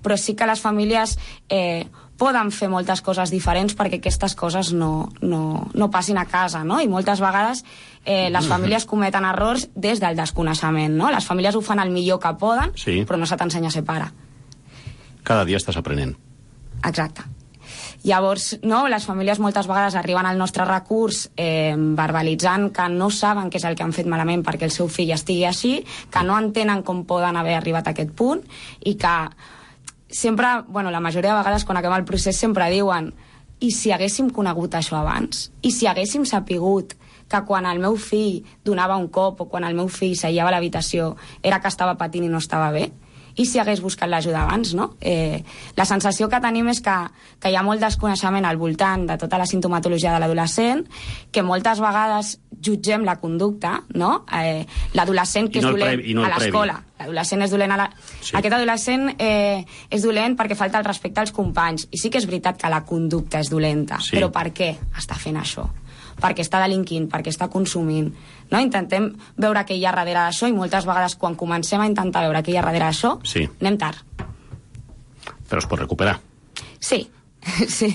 però sí que les famílies eh, poden fer moltes coses diferents perquè aquestes coses no, no, no passin a casa, no? I moltes vegades eh, les famílies cometen errors des del desconeixement, no? Les famílies ho fan el millor que poden, sí. però no se t'ensenya a ser pare. Cada dia estàs aprenent. Exacte. Llavors, no, les famílies moltes vegades arriben al nostre recurs eh, verbalitzant que no saben què és el que han fet malament perquè el seu fill estigui així, que no entenen com poden haver arribat a aquest punt i que sempre, bueno, la majoria de vegades quan acabem el procés sempre diuen i si haguéssim conegut això abans? I si haguéssim sapigut que quan el meu fill donava un cop o quan el meu fill seia a l'habitació era que estava patint i no estava bé? I si hagués buscat l'ajuda abans, no? Eh, la sensació que tenim és que, que hi ha molt desconeixement al voltant de tota la sintomatologia de l'adolescent, que moltes vegades jutgem la conducta, no? Eh, l'adolescent que no és dolent previ, no a l'escola. L'adolescent és dolent a la... Sí. Aquest adolescent eh, és dolent perquè falta el respecte als companys. I sí que és veritat que la conducta és dolenta. Sí. Però per què està fent això? Perquè està delinquint, perquè està consumint. No? Intentem veure què hi ha darrere d'això i moltes vegades quan comencem a intentar veure què hi ha darrere d'això, sí. anem tard. Però es pot recuperar. Sí, sí.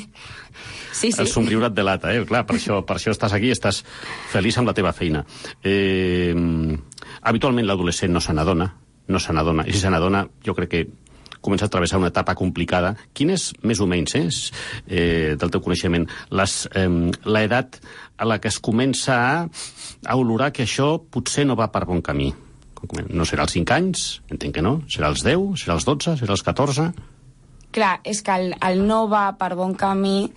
Sí, sí. El somriure et delata, eh? Clar, per això, per això estàs aquí, estàs feliç amb la teva feina. Eh, habitualment l'adolescent no se n'adona, no se n'adona, i si se n'adona jo crec que comença a travessar una etapa complicada. Quin és, més o menys, eh, eh, del teu coneixement, les, eh, l'edat a la que es comença a, a olorar que això potser no va per bon camí? No serà als cinc anys? Entenc que no. Serà als deu? Serà als dotze? Serà als catorze? Clar, és que el, el no va per bon camí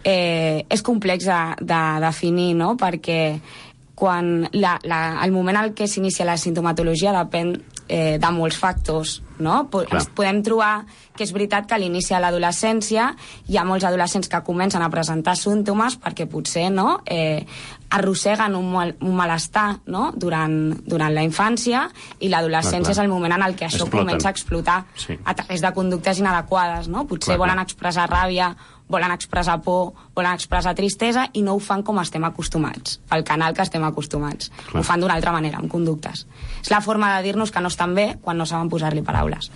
eh, és complex de, de definir, no? Perquè quan la, la, el moment en què s'inicia la sintomatologia depèn eh, de molts factors, no? Ens podem trobar que és veritat que a l'inici de l'adolescència hi ha molts adolescents que comencen a presentar símptomes perquè potser no, eh, arrosseguen un, mal, un malestar no? durant, durant la infància i l'adolescència és el moment en el que això Exploten. comença a explotar sí. a través de conductes inadequades. No? Potser clar, volen clar. expressar ràbia, volen expressar por, volen expressar tristesa i no ho fan com estem acostumats, pel canal que estem acostumats. Clar. Ho fan d'una altra manera, amb conductes. És la forma de dir-nos que no estan bé quan no saben posar-li paraules.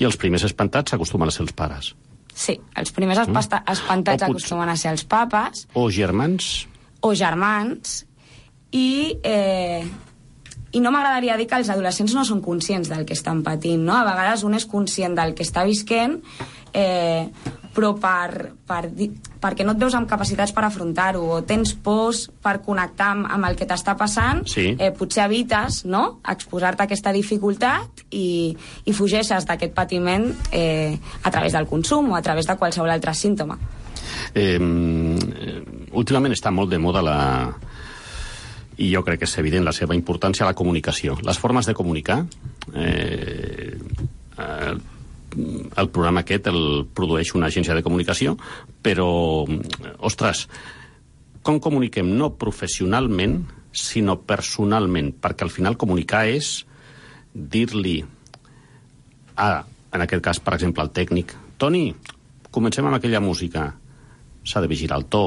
I els primers espantats acostumen a ser els pares. Sí, els primers espantats mm. acostumen a ser els papes. O germans. O germans. I, eh, i no m'agradaria dir que els adolescents no són conscients del que estan patint, no? A vegades un és conscient del que està visquent, eh, però per, per, perquè no et veus amb capacitats per afrontar-ho, o tens pors per connectar amb, amb el que t'està passant, sí. eh, potser evites no? exposar-te a aquesta dificultat i, i fugeixes d'aquest patiment eh, a través del consum o a través de qualsevol altre símptoma. Eh, últimament està molt de moda la... i jo crec que és evident la seva importància, la comunicació. Les formes de comunicar... Eh, eh, el programa aquest el produeix una agència de comunicació, però, ostres, com comuniquem no professionalment, sinó personalment, perquè al final comunicar és dir-li a, en aquest cas, per exemple, al tècnic, Toni, comencem amb aquella música. S'ha de vigilar el to,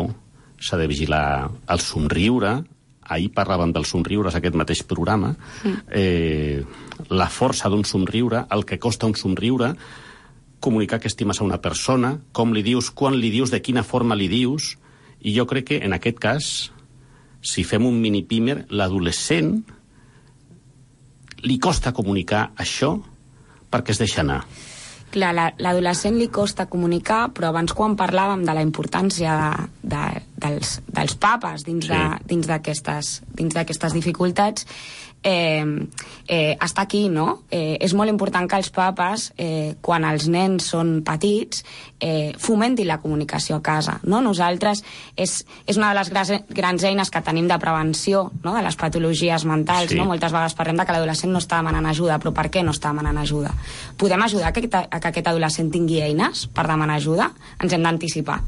s'ha de vigilar el somriure. Ahir parlàvem dels somriures, aquest mateix programa. Mm. Eh, la força d'un somriure, el que costa un somriure, comunicar que estimes a una persona, com li dius, quan li dius, de quina forma li dius, i jo crec que en aquest cas, si fem un mini-pimer, l'adolescent li costa comunicar això perquè es deixa anar. Clar, l'adolescent li costa comunicar, però abans quan parlàvem de la importància de, de, dels, dels papes dins sí. d'aquestes dins d'aquestes dificultats, eh, eh, està aquí, no? Eh, és molt important que els papes, eh, quan els nens són petits, eh, fomentin la comunicació a casa, no? Nosaltres, és, és una de les grans, grans eines que tenim de prevenció, no? De les patologies mentals, sí. no? Moltes vegades parlem de que l'adolescent no està demanant ajuda, però per què no està demanant ajuda? Podem ajudar a que, a que aquest adolescent tingui eines per demanar ajuda? Ens hem d'anticipar.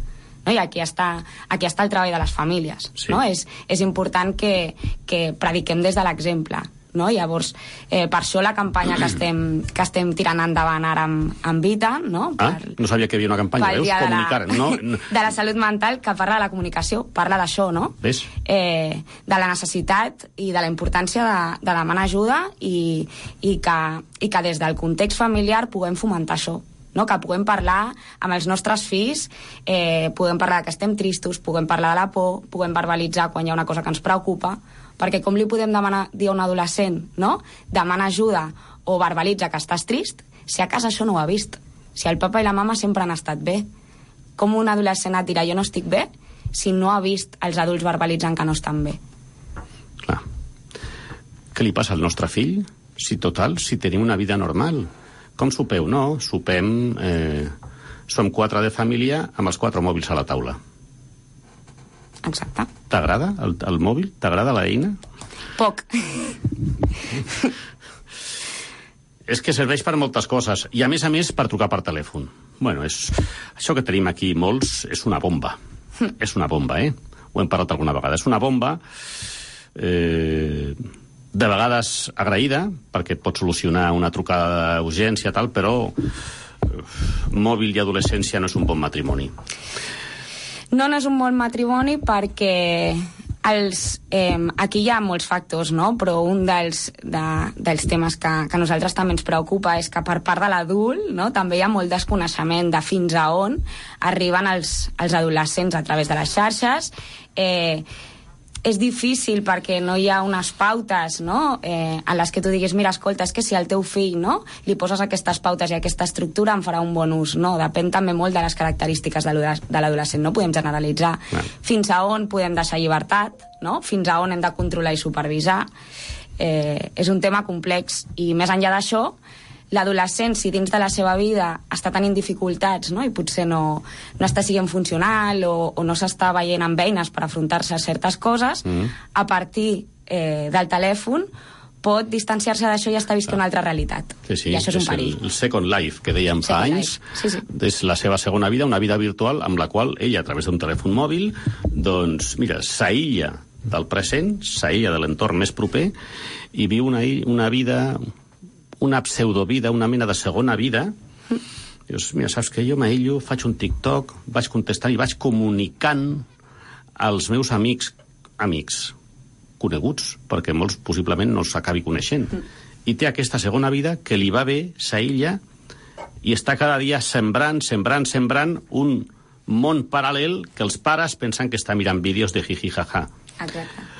No? I aquí està, aquí està el treball de les famílies. Sí. No? És, és important que, que prediquem des de l'exemple. No? Llavors, eh, per això la campanya que estem, que estem tirant endavant ara amb, amb Vita, no? Per, ah, no sabia que hi havia una campanya, veus? De comunicar, la, no? de la salut mental, que parla de la comunicació, parla d'això, no? Ves? Eh, de la necessitat i de la importància de, de demanar ajuda i, i, que, i que des del context familiar puguem fomentar això. No? Que puguem parlar amb els nostres fills, eh, puguem parlar que estem tristos, puguem parlar de la por, puguem verbalitzar quan hi ha una cosa que ens preocupa, perquè com li podem demanar, dir a un adolescent, no? Demana ajuda o verbalitza que estàs trist, si a casa això no ho ha vist. Si el papa i la mama sempre han estat bé. Com un adolescent et dirà jo no estic bé si no ha vist els adults verbalitzant que no estan bé? Clar. Què li passa al nostre fill? Si total, si tenim una vida normal. Com sopeu? No, sopem... Eh, som quatre de família amb els quatre mòbils a la taula. Exacte. T'agrada el, el mòbil? T'agrada l'eina? Poc. És que serveix per moltes coses, i a més a més per trucar per telèfon. Bueno, és, això que tenim aquí molts és una bomba. Mm. És una bomba, eh? Ho hem parlat alguna vegada. És una bomba, eh, de vegades agraïda, perquè et pot solucionar una trucada d'urgència, tal, però mòbil i adolescència no és un bon matrimoni. No, no és un bon matrimoni perquè els, eh, aquí hi ha molts factors, no? Però un dels, de, dels temes que, que a nosaltres també ens preocupa és que per part de l'adult, no? També hi ha molt desconeixement de fins a on arriben els, els adolescents a través de les xarxes. Eh, és difícil perquè no hi ha unes pautes, no? eh, en les que tu diguis, mira, escolta, és que si al teu fill, no?, li poses aquestes pautes i aquesta estructura en farà un bon ús. No, depèn també molt de les característiques de l'adolescent, no podem generalitzar. No. Fins a on podem deixar llibertat, no? Fins a on hem de controlar i supervisar. Eh, és un tema complex, i més enllà d'això, l'adolescent, si dins de la seva vida està tenint dificultats, no?, i potser no, no està sent funcional o, o no s'està veient amb eines per afrontar-se a certes coses, mm. a partir eh, del telèfon pot distanciar-se d'això i estar visquent una altra realitat. Sí, sí, i això és, és un perill. El, el Second Life, que dèiem fa anys, sí, sí. és la seva segona vida, una vida virtual amb la qual ella, a través d'un telèfon mòbil, doncs, mira, s'aïlla del present, s'aïlla de l'entorn més proper i viu una, una vida... una pseudovida, una mena de segona vida. Dius, mira, saps que jo m'aïllo, faig un TikTok, vaig contestant i vaig comunicant als meus amics, amics coneguts, perquè molts possiblement no els acabi coneixent. Mm. I té aquesta segona vida que li va bé, s'aïlla, i està cada dia sembrant, sembrant, sembrant un món paral·lel que els pares pensen que està mirant vídeos de jiji jaja. Exacte.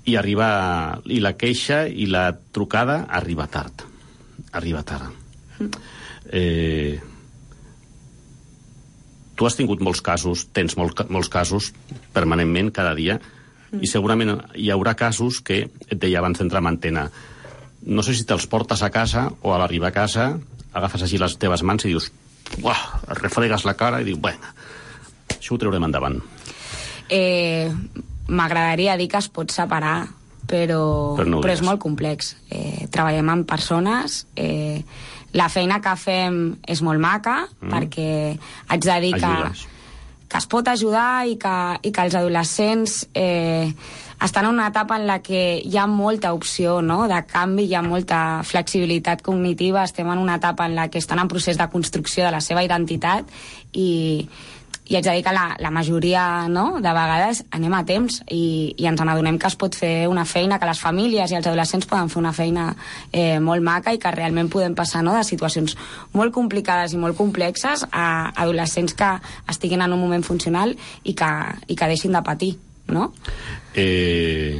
I arriba, i la queixa i la trucada arriba tard. Arriba tard. Mm. Eh, tu has tingut molts casos, tens molt, molts casos permanentment, cada dia, mm. i segurament hi haurà casos que, et deia abans d'entrar en antena, no sé si te'ls portes a casa o a l'arribar a casa agafes així les teves mans i dius, uah, refregues la cara i dius, bueno, això ho traurem endavant. Eh... M'agradaria dir que es pot separar, però, però, no però és molt complex. Eh, treballem amb persones, eh, la feina que fem és molt maca, mm. perquè haig de dir que, que es pot ajudar i que, i que els adolescents eh, estan en una etapa en la que hi ha molta opció, no?, de canvi, hi ha molta flexibilitat cognitiva, estem en una etapa en la que estan en procés de construcció de la seva identitat i... i haig de dir que la, la majoria, no?, de vegades anem a temps i, i ens n'adonem que es pot fer una feina, que les famílies i els adolescents poden fer una feina eh, molt maca i que realment podem passar, no?, de situacions molt complicades i molt complexes a adolescents que estiguin en un moment funcional i que, i que deixin de patir, no? Eh,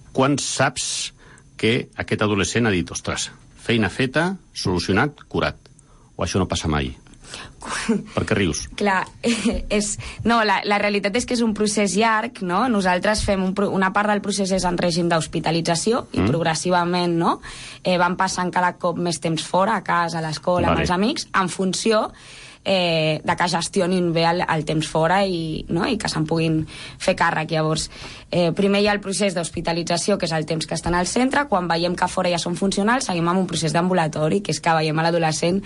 quan saps que aquest adolescent ha dit, ostres, feina feta, solucionat, curat, o això no passa mai? Per què rius? Clar, eh, és... No, la, la realitat és que és un procés llarg, no? Nosaltres fem un, una part del procés és en règim d'hospitalització i mm. progressivament, no?, eh, van passant cada cop més temps fora, a casa, a l'escola, vale. Amb els amics, en funció eh, de que gestionin bé el, el temps fora i, no?, i que se'n puguin fer càrrec. Llavors, eh, primer hi ha el procés d'hospitalització, que és el temps que estan al centre. Quan veiem que fora ja són funcionals, seguim amb un procés d'ambulatori, que és que veiem a l'adolescent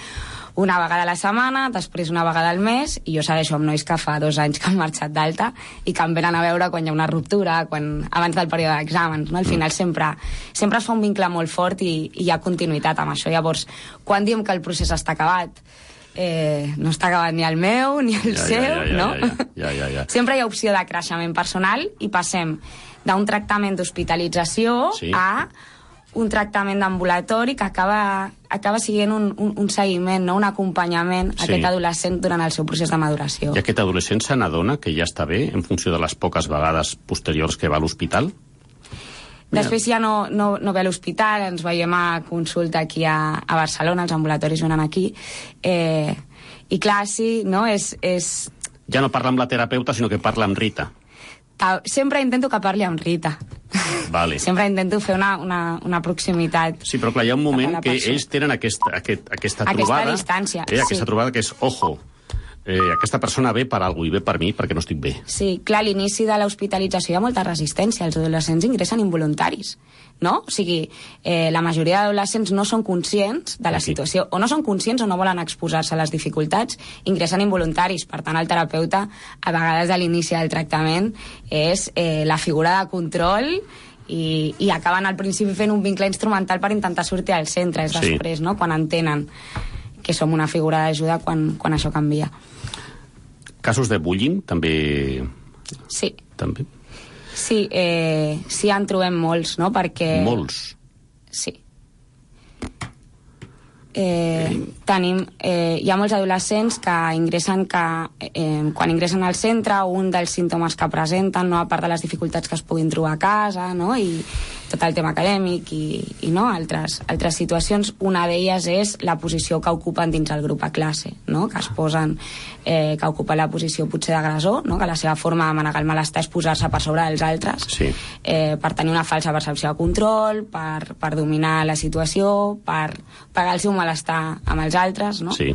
una vegada a la setmana, després una vegada al mes, i jo segueixo amb nois que fa dos anys que han marxat d'alta i que em venen a veure quan hi ha una ruptura, quan, abans del període d'exàmens, no? Al final sempre, sempre es fa un vincle molt fort i, i hi ha continuïtat amb això. Llavors, quan diem que el procés està acabat, eh, no està acabat ni el meu ni el ja, seu, ja, ja, no? Ja, ja, ja, ja, ja. Sempre hi ha opció de creixement personal i passem d'un tractament d'hospitalització sí. a un tractament d'ambulatori que acaba, acaba sent un, un, un seguiment, no?, un acompanyament a sí. aquest adolescent durant el seu procés de maduració. I aquest adolescent se n'adona que ja està bé en funció de les poques vegades posteriors que va a l'hospital? Després ja no, no, no ve a l'hospital, ens veiem a consulta aquí a, a Barcelona, els ambulatoris venen aquí, eh, i clar, sí, no?, és, és... Ja no parla amb la terapeuta, sinó que parla amb Rita. sempre intento que parli amb Rita. Vale. Sempre intento fer una, una, una proximitat. Sí, però clar, hi ha un moment que ells tenen aquesta, aquest, aquesta trobada... Aquesta distància, eh, aquesta sí. trobada que és, ojo, eh, aquesta persona ve per alguna cosa i ve per mi perquè no estic bé. Sí, clar, a l'inici de l'hospitalització hi ha molta resistència. Els adolescents ingressen involuntaris, no? O sigui, eh, la majoria d'adolescents no són conscients de la situació, o no són conscients o no volen exposar-se a les dificultats, ingressen involuntaris. Per tant, el terapeuta, a vegades a l'inici del tractament, és eh, la figura de control i, i acaben al principi fent un vincle instrumental per intentar sortir al centre, és Sí. després, no?, quan entenen que som una figura d'ajuda quan, quan això canvia. Casos de bullying, també... Sí. També. Sí, eh, sí en trobem molts, no?, perquè... Molts. Sí. Eh, tenim, eh, hi ha molts adolescents que ingressen que, eh, quan ingressen al centre, un dels símptomes que presenten, no, a part de les dificultats que es puguin trobar a casa, no, i tot el tema acadèmic i, i no, altres, altres situacions, una d'elles és la posició que ocupen dins el grup a classe, no, que es posen, eh, que ocupen la posició potser d'agressor, no, que la seva forma de manegar el malestar és posar-se per sobre dels altres, sí. eh, per tenir una falsa percepció de control, per, per dominar la situació, per pagar el seu malestar amb els altres, no? Sí.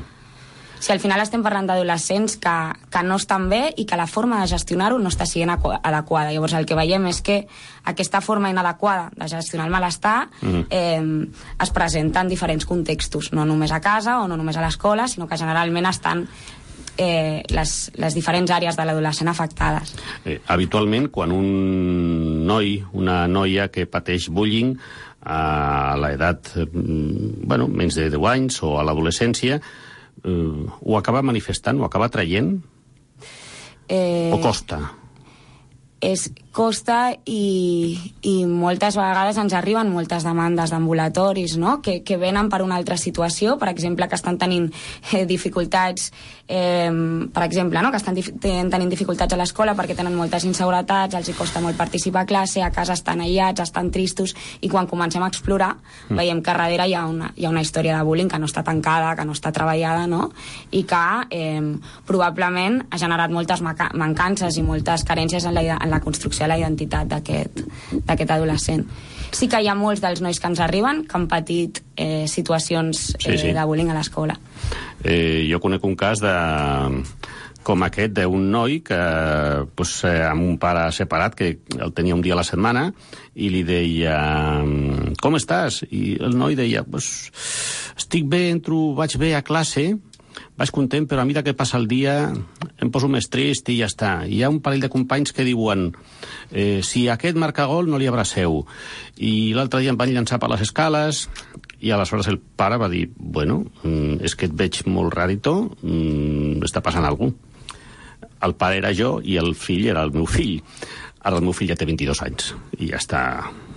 Si al final estem parlant d'adolescents que, que no estan bé i que la forma de gestionar-ho no està sent adequada. Llavors el que veiem és que aquesta forma inadequada de gestionar el malestar mm. eh, es presenta en diferents contextos, no només a casa o no només a l'escola, sinó que generalment estan eh, les, les diferents àrees de l'adolescent afectades. Eh, habitualment, quan un noi, una noia que pateix bullying a l'edat, eh, bueno, menys de deu anys o a l'adolescència, Uh, ho acaba manifestant, ho acaba traient? Eh, o costa? És costa i, i moltes vegades ens arriben moltes demandes d'ambulatoris, no?, que, que venen per una altra situació, per exemple, que estan tenint eh, dificultats, eh, per exemple, no?, que estan dif tenint dificultats a l'escola perquè tenen moltes inseguretats, els hi costa molt participar a classe, a casa estan aïllats, estan tristos, i quan comencem a explorar mm. veiem que darrere hi ha, una, hi ha una història de bullying que no està tancada, que no està treballada, no?, i que eh, probablement ha generat moltes mancances i moltes carències en la, en la construcció de la identitat d'aquest adolescent. Sí que hi ha molts dels nois que ens arriben que han patit eh, situacions eh, sí, sí. de bullying a l'escola. Eh, jo conec un cas de, com aquest d'un noi que, pues, eh, amb un pare separat, que el tenia un dia a la setmana, i li deia, com estàs? I el noi deia, pues, estic bé, entro, vaig bé a classe, vaig content, però a mesura que passa el dia em poso més trist i ja està. Hi ha un parell de companys que diuen eh, si aquest marca gol no li abraceu. I l'altre dia em van llançar per les escales i aleshores el pare va dir, bueno, és que et veig molt rarito, està passant alguna cosa. El pare era jo i el fill era el meu fill. Ara el meu fill ja té vint-i-dos anys i ja està,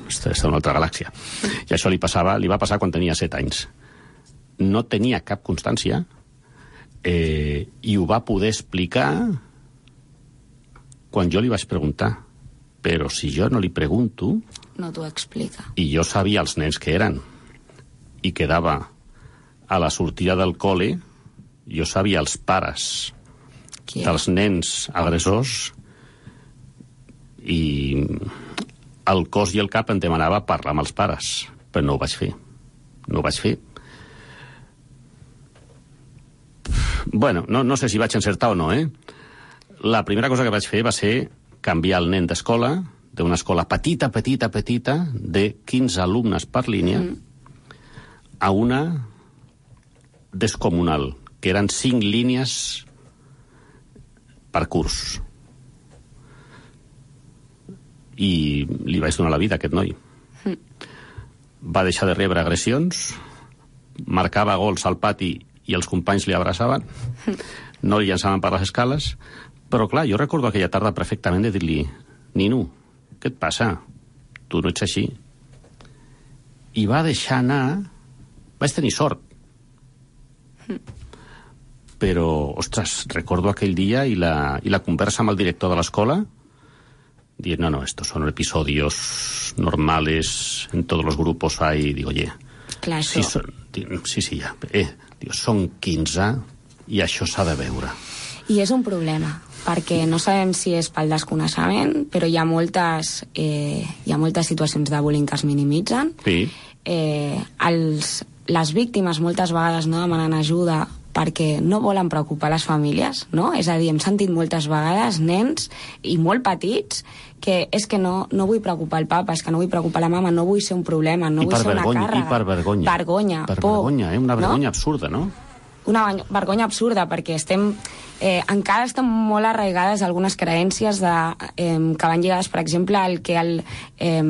està en una altra galàxia. I això li passava, li va passar quan tenia set anys. No tenia cap constància eh, i ho va poder explicar quan jo li vaig preguntar. Però si jo no li pregunto... No t'ho explica. I jo sabia els nens que eren i quedava a la sortida del col·le, jo sabia els pares Qui dels nens agressors i el cos i el cap em demanava parlar amb els pares, però no ho vaig fer. No ho vaig fer. Bueno, no, no sé si vaig encertar o no, eh? La primera cosa que vaig fer va ser canviar el nen d'escola, d'una escola petita, petita, petita, de quinze alumnes per línia, mm. a una descomunal, que eren cinc línies per curs. I li vaig donar la vida a aquest noi. Mm. Va deixar de rebre agressions, marcava gols al pati i els companys li abraçaven, no li llançaven per les escales, però clar, jo recordo aquella tarda perfectament de dir-li, Nino, què et passa? Tu no ets així. I va deixar anar... Vaig tenir sort. Però, ostres, recordo aquell dia i la, i la conversa amb el director de l'escola dient, no, no, estos son episodios normales, en todos los grupos hay, digo, oye, clar, sí, son, sí, sí, ja, eh, digo, son quinze, I això s'ha de veure. I és un problema, perquè no sabem si és pel desconeixement, però hi ha moltes, eh, hi ha moltes situacions de bullying que es minimitzen. Sí. Eh, els, les víctimes moltes vegades no demanen ajuda perquè no volen preocupar les famílies, no? És a dir, hem sentit moltes vegades nens, i molt petits, que és que no, no vull preocupar el papa, és que no vull preocupar la mama, no vull ser un problema, no I vull ser una vergonya, càrrega. I per vergonya. Vergonya, per por. Vergonya, eh? Una vergonya no? absurda, no? Una vergonya absurda, perquè estem... Eh, encara estan molt arraigades algunes creències de, eh, que van lligades, per exemple, al que el, eh,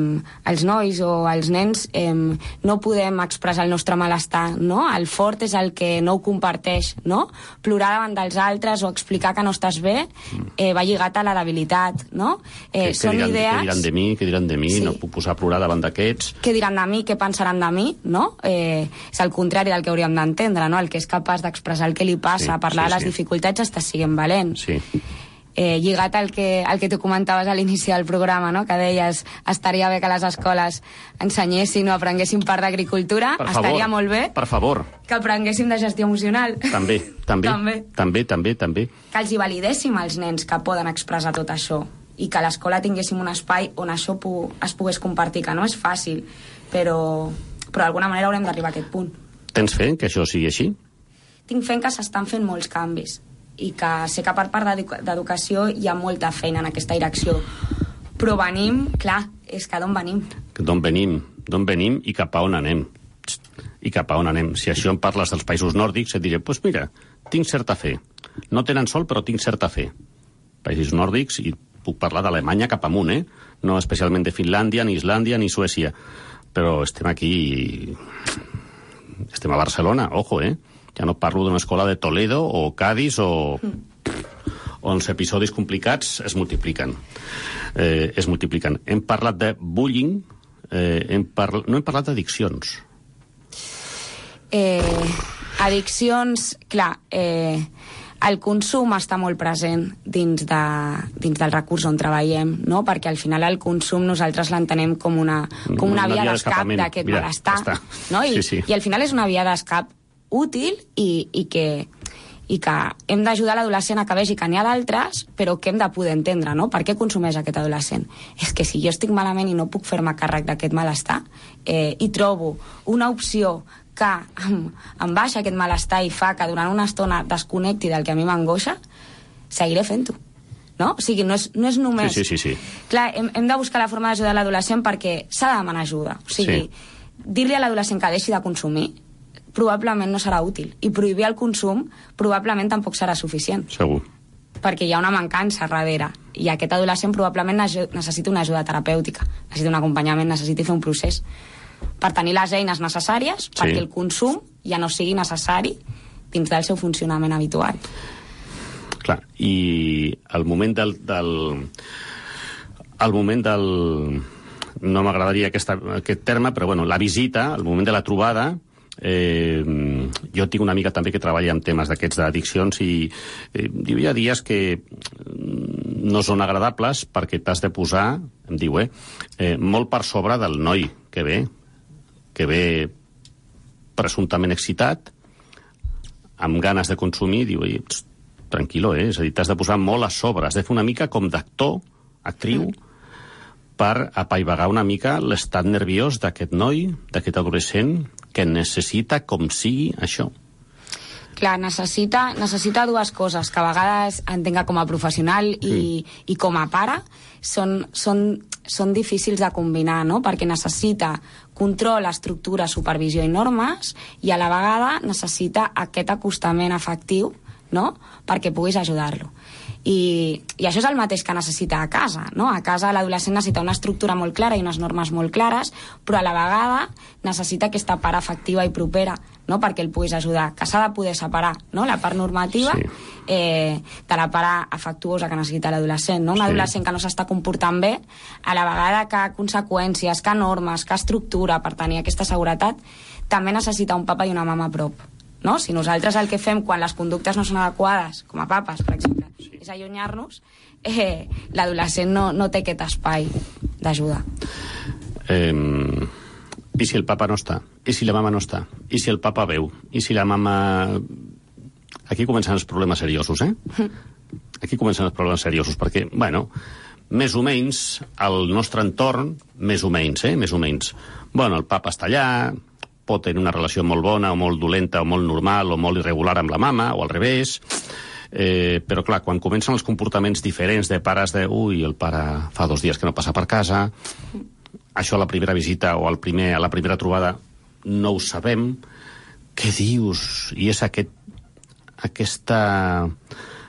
els nois o els nens eh, no podem expressar el nostre malestar, no? El fort és el que no ho comparteix, no? Plorar davant dels altres o explicar que no estàs bé eh, va lligat a la debilitat, no? Eh, que, són que diran, idees... Que diran de mi, que diran de mi, sí. No puc posar a plorar davant d'aquests. Què diran de mi, què pensaran de mi, no? Eh, és el contrari del que hauríem d'entendre, no? El que és capaç d'expressar el que li passa, sí, parlar sí, de les sí. dificultats, està siguent valent. Sí. Eh, lligat al que, al que tu comentaves a l'inici del programa, no? Que deies, estaria bé que les escoles ensenyessin o aprenguessin part d'agricultura, estaria molt bé per favor. Que aprenguéssim de gestió emocional. També, també, també. també, també, també. Que els hi validéssim als nens que poden expressar tot això i que a l'escola tinguéssim un espai on això pu es pogués compartir, que no és fàcil, però, però d'alguna manera haurem d'arribar a aquest punt. Tens fe que això sigui així? Tinc fe que s'estan fent molts canvis i que sé que per part d'educació hi ha molta feina en aquesta direcció. Però venim, clar, és que d'on venim? D'on venim, d'on venim i cap a on anem. I cap a on anem. Si això em parles dels països nòrdics, et diré, doncs pues mira, tinc certa fe. No tenen sol, però tinc certa fe. Països nòrdics, i puc parlar d'Alemanya cap amunt, eh? No especialment de Finlàndia, ni Islàndia, ni Suècia. Però estem aquí... Estem a Barcelona, ojo, eh? Ja no parlo d'una escola de Toledo o Cádiz o... on els episodis complicats es multipliquen. Eh, es multipliquen. Hem parlat de bullying, eh, hem parla... no hem parlat d'addiccions. Eh, addiccions, clar, eh, el consum està molt present dins, de, dins del recurs on treballem, no? Perquè al final el consum nosaltres l'entenem com una, com una, una via, via d'escap d'aquest malestar. Ja no? I, sí, sí. I al final és una via d'escap útil i, i que i que hem d'ajudar l'adolescent a que vegi que n'hi ha d'altres, però que hem de poder entendre, no? Per què consumeix aquest adolescent? És que si jo estic malament i no puc fer-me càrrec d'aquest malestar eh, i trobo una opció que em, em baixa aquest malestar i fa que durant una estona desconnecti del que a mi m'angoixa, seguiré fent-ho. No? O sigui, no és, no és només... Sí, sí, sí, sí. Clar, hem, hem de buscar la forma d'ajudar l'adolescent perquè s'ha de demanar ajuda. O sigui, sí. Dir-li a l'adolescent que deixi de consumir probablement no serà útil. I prohibir el consum probablement tampoc serà suficient. Segur. Perquè hi ha una mancança darrere. I aquest adolescent probablement necessita una ajuda terapèutica, necessita un acompanyament, necessita fer un procés per tenir les eines necessàries sí. perquè el consum ja no sigui necessari dins del seu funcionament habitual. Clar, i el moment del... del el moment del... no m'agradaria aquest terme, però bueno, la visita, el moment de la trobada. Eh, jo tinc una amiga també que treballa en temes d'aquests d'addiccions i eh, hi ha dies que no són agradables perquè t'has de posar, em diu, eh, eh, molt per sobre del noi que ve, que ve presumptament excitat, amb ganes de consumir, diu, pst, tranquil·lo, eh? És a dir, t'has de posar molt a sobre, has de fer una mica com d'actor, actriu, per apaivagar una mica l'estat nerviós d'aquest noi, d'aquest adolescent, que necessita com sigui això. Clar, necessita, necessita dues coses, que a vegades entenga com a professional i, sí. i com a pare, són, són, són difícils de combinar, no? Perquè necessita control, estructura, supervisió i normes, i a la vegada necessita aquest acostament afectiu, no? Perquè puguis ajudar-lo. I, i això és el mateix que necessita a casa, no? A casa l'adolescent necessita una estructura molt clara i unes normes molt clares, però a la vegada necessita aquesta part afectiva i propera, no? Perquè el puguis ajudar, que s'ha de poder separar, no? La part normativa sí. eh, de la part afectuosa que necessita l'adolescent, no? Un sí. adolescent que no s'està comportant bé, a la vegada que conseqüències, que normes, que estructura per tenir aquesta seguretat, també necessita un papa i una mama a prop. No? Si nosaltres el que fem quan les conductes no són adequades, com a papes, per exemple, sí. és allunyar-nos, eh, l'adolescent no, no té aquest espai d'ajuda. Eh, I si el papa no està? I si la mama no està? I si el papa veu? I si la mama aquí comencen els problemes seriosos, eh? Aquí comencen els problemes seriosos, perquè, bueno, més o menys, el nostre entorn, més o menys, eh? Més o menys. Bueno, el papa està allà, pot tenir una relació molt bona o molt dolenta o molt normal o molt irregular amb la mama, o al revés. Eh, però, clar, quan comencen els comportaments diferents de pares de... Ui, el pare fa dos dies que no passa per casa, això a la primera visita o al primer, a la primera trobada no ho sabem, què dius? I és aquest, aquesta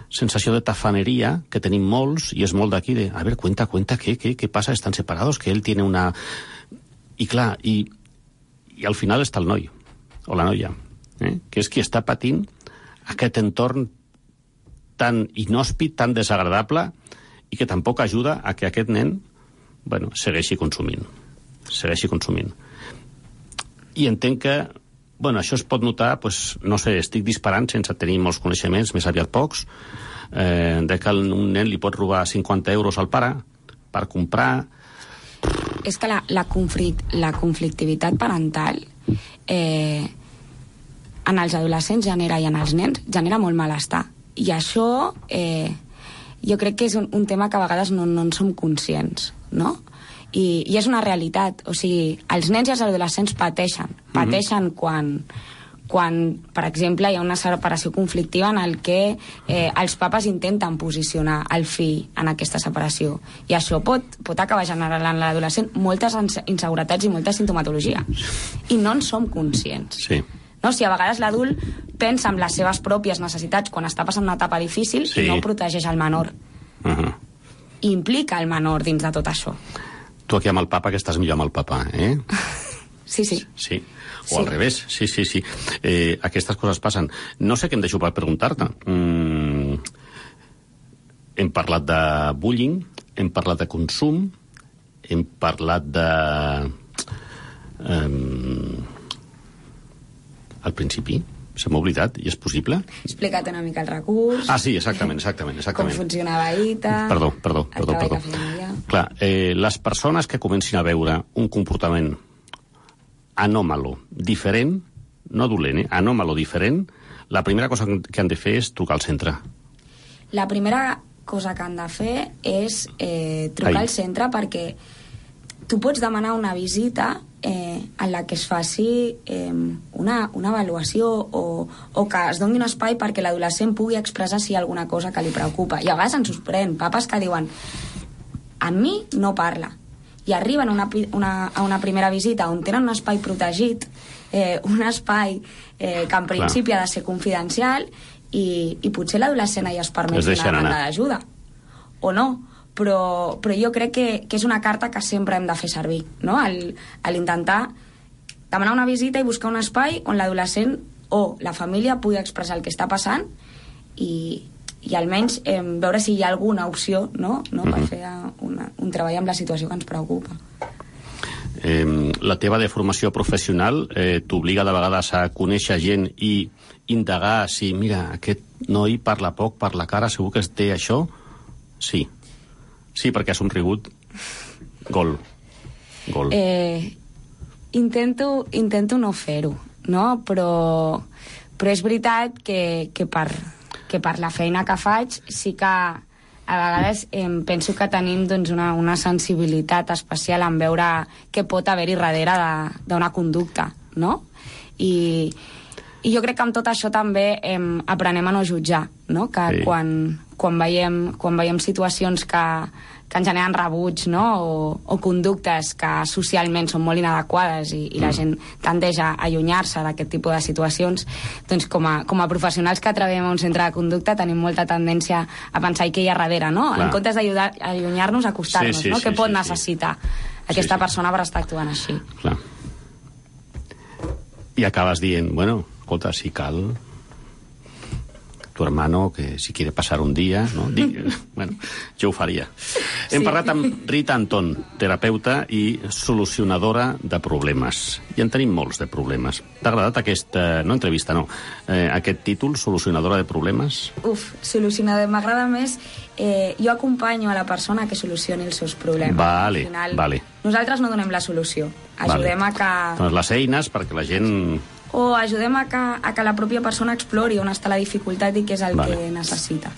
sensació de tafaneria que tenim molts, i és molt d'aquí de, a veure, cuenta, cuenta, què, què, què passa? Estan separados, que ell tiene una... I clar, i, i al final està el noi, o la noia, eh? Que és qui està patint aquest entorn tan inhòspit, tan desagradable, i que tampoc ajuda a que aquest nen, bueno, segueixi consumint. Segueixi consumint. I entenc que, bueno, això es pot notar, pues, no sé, estic disparant sense tenir molts coneixements, més aviat pocs, eh, de que un nen li pot robar cinquanta euros al pare per comprar... És que la, la, conflict, la conflictivitat parental eh, en els adolescents genera, i en els nens genera molt malestar. I això eh, jo crec que és un, un tema que a vegades no, no en som conscients, no? I, i és una realitat. O sigui, els nens i els adolescents pateixen. Pateixen mm-hmm. quan, quan, per exemple, hi ha una separació conflictiva en el que eh, els papes intenten posicionar el fill en aquesta separació. I això pot, pot acabar generant en l'adolescent moltes inseguretats i molta sintomatologia. I no en som conscients. Sí. No? Si a vegades l'adult pensa en les seves pròpies necessitats quan està passant una etapa difícil, sí, i no protegeix el menor. Uh-huh. I implica el menor dins de tot això. Tu aquí amb el papa, que estàs millor amb el papa, eh? Sí, sí. Sí. O sí. Al revés, sí, sí, sí. Eh, aquestes coses passen. No sé què em deixo per preguntar-te. Mm, hem parlat de bullying, hem parlat de consum, hem parlat de... Um, al principi, se m'ha oblidat, i és possible? Explica't una mica el recurs. Ah, sí, exactament, exactament. exactament. Com funcionava I T A. Perdó, perdó, perdó. perdó. Clar, eh, les persones que comencin a veure un comportament anòmalo, diferent, no dolent, eh? anòmalo, diferent, la primera cosa que han de fer és trucar al centre. La primera cosa que han de fer és eh, trucar Ai. al centre, perquè tu pots demanar una visita eh, en la que es faci eh, una, una avaluació o, o que es doni un espai perquè l'adolescent pugui expressar si hi ha alguna cosa que li preocupa. I a vegades ens sorprèn, papes que diuen a mi no parla, i arriben a una, una, a una primera visita on tenen un espai protegit, eh, un espai eh, que en principi Clar. ha de ser confidencial, i, i potser l'adolescent hi es permet una demanda d'ajuda o no, però, però jo crec que, que és una carta que sempre hem de fer servir, no? L'intentar demanar una visita i buscar un espai on l'adolescent o la família pugui expressar el que està passant i, i almenys eh, veure si hi ha alguna opció, no? no? Mm-hmm. per fer una, un treball amb la situació que ens preocupa. Eh, la teva deformació professional eh, t'obliga de vegades a conèixer gent i indagar si, mira, aquest noi parla poc, parla cara, segur que es té això? Sí. Sí, perquè ha somrigut. Gol. Gol. Eh, intento, intento no fer-ho, no? Però, però és veritat que, que, per, que per la feina que faig sí que a vegades eh, penso que tenim doncs, una, una sensibilitat especial en veure què pot haver-hi darrere d'una conducta, no? I, I jo crec que amb tot això també eh, aprenem a no jutjar, no? Que sí. quan, quan, veiem, quan veiem situacions que, que ens generen rebuig, no? o, o conductes que socialment són molt inadequades i, i la gent tendeix a allunyar-se d'aquest tipus de situacions, doncs com a, com a professionals que treballem a un centre de conducta tenim molta tendència a pensar què hi ha darrere, no? Clar. En comptes d'allunyar-nos, acostar-nos, sí, sí, no? Sí, què pot sí, necessitar sí. aquesta sí, sí. persona per estar actuant així. Clar. I acabes dient, bueno, escolta, si cal, tu hermano, que si quiere pasar un dia, no? Dic, bueno, jo ho faria. Hem sí. parlat amb Rita Anton, terapeuta i solucionadora de problemes. I en tenim molts de problemes. T'ha agradat aquesta, no entrevista, no, eh, aquest títol, solucionadora de problemes? Uf, solucionadora, m'agrada més. Eh, jo acompanyo a la persona que solucioni els seus problemes. Vale, Al final, vale. Nosaltres no donem la solució. Ajudem vale. a que... Doncs les eines perquè la gent... o ajudem a que, a que la pròpia persona explori on està la dificultat i què és el vale. que necessita.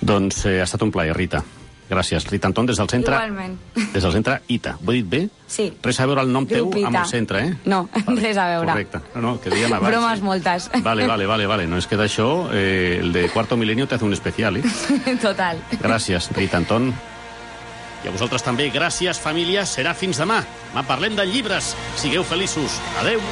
Doncs eh, ha estat un plaer, Rita. Gràcies. Rita Anton, des del centre... Igualment. Des del centre I T A. Ho he dit bé? Sí. Res a veure el nom teu Grup I T A. amb el centre, eh? No, vale. res a veure. Correcte. No, no, que dèiem abans. Bromes eh? moltes. Vale, vale, vale, vale. No, és que d'això, eh, el de Cuarto Milenio te hace un especial, eh? Total. Gràcies, Rita Anton. I a vosaltres també, gràcies, família. Serà fins demà. Demà parlem de llibres. Sigueu feliços. Adeu.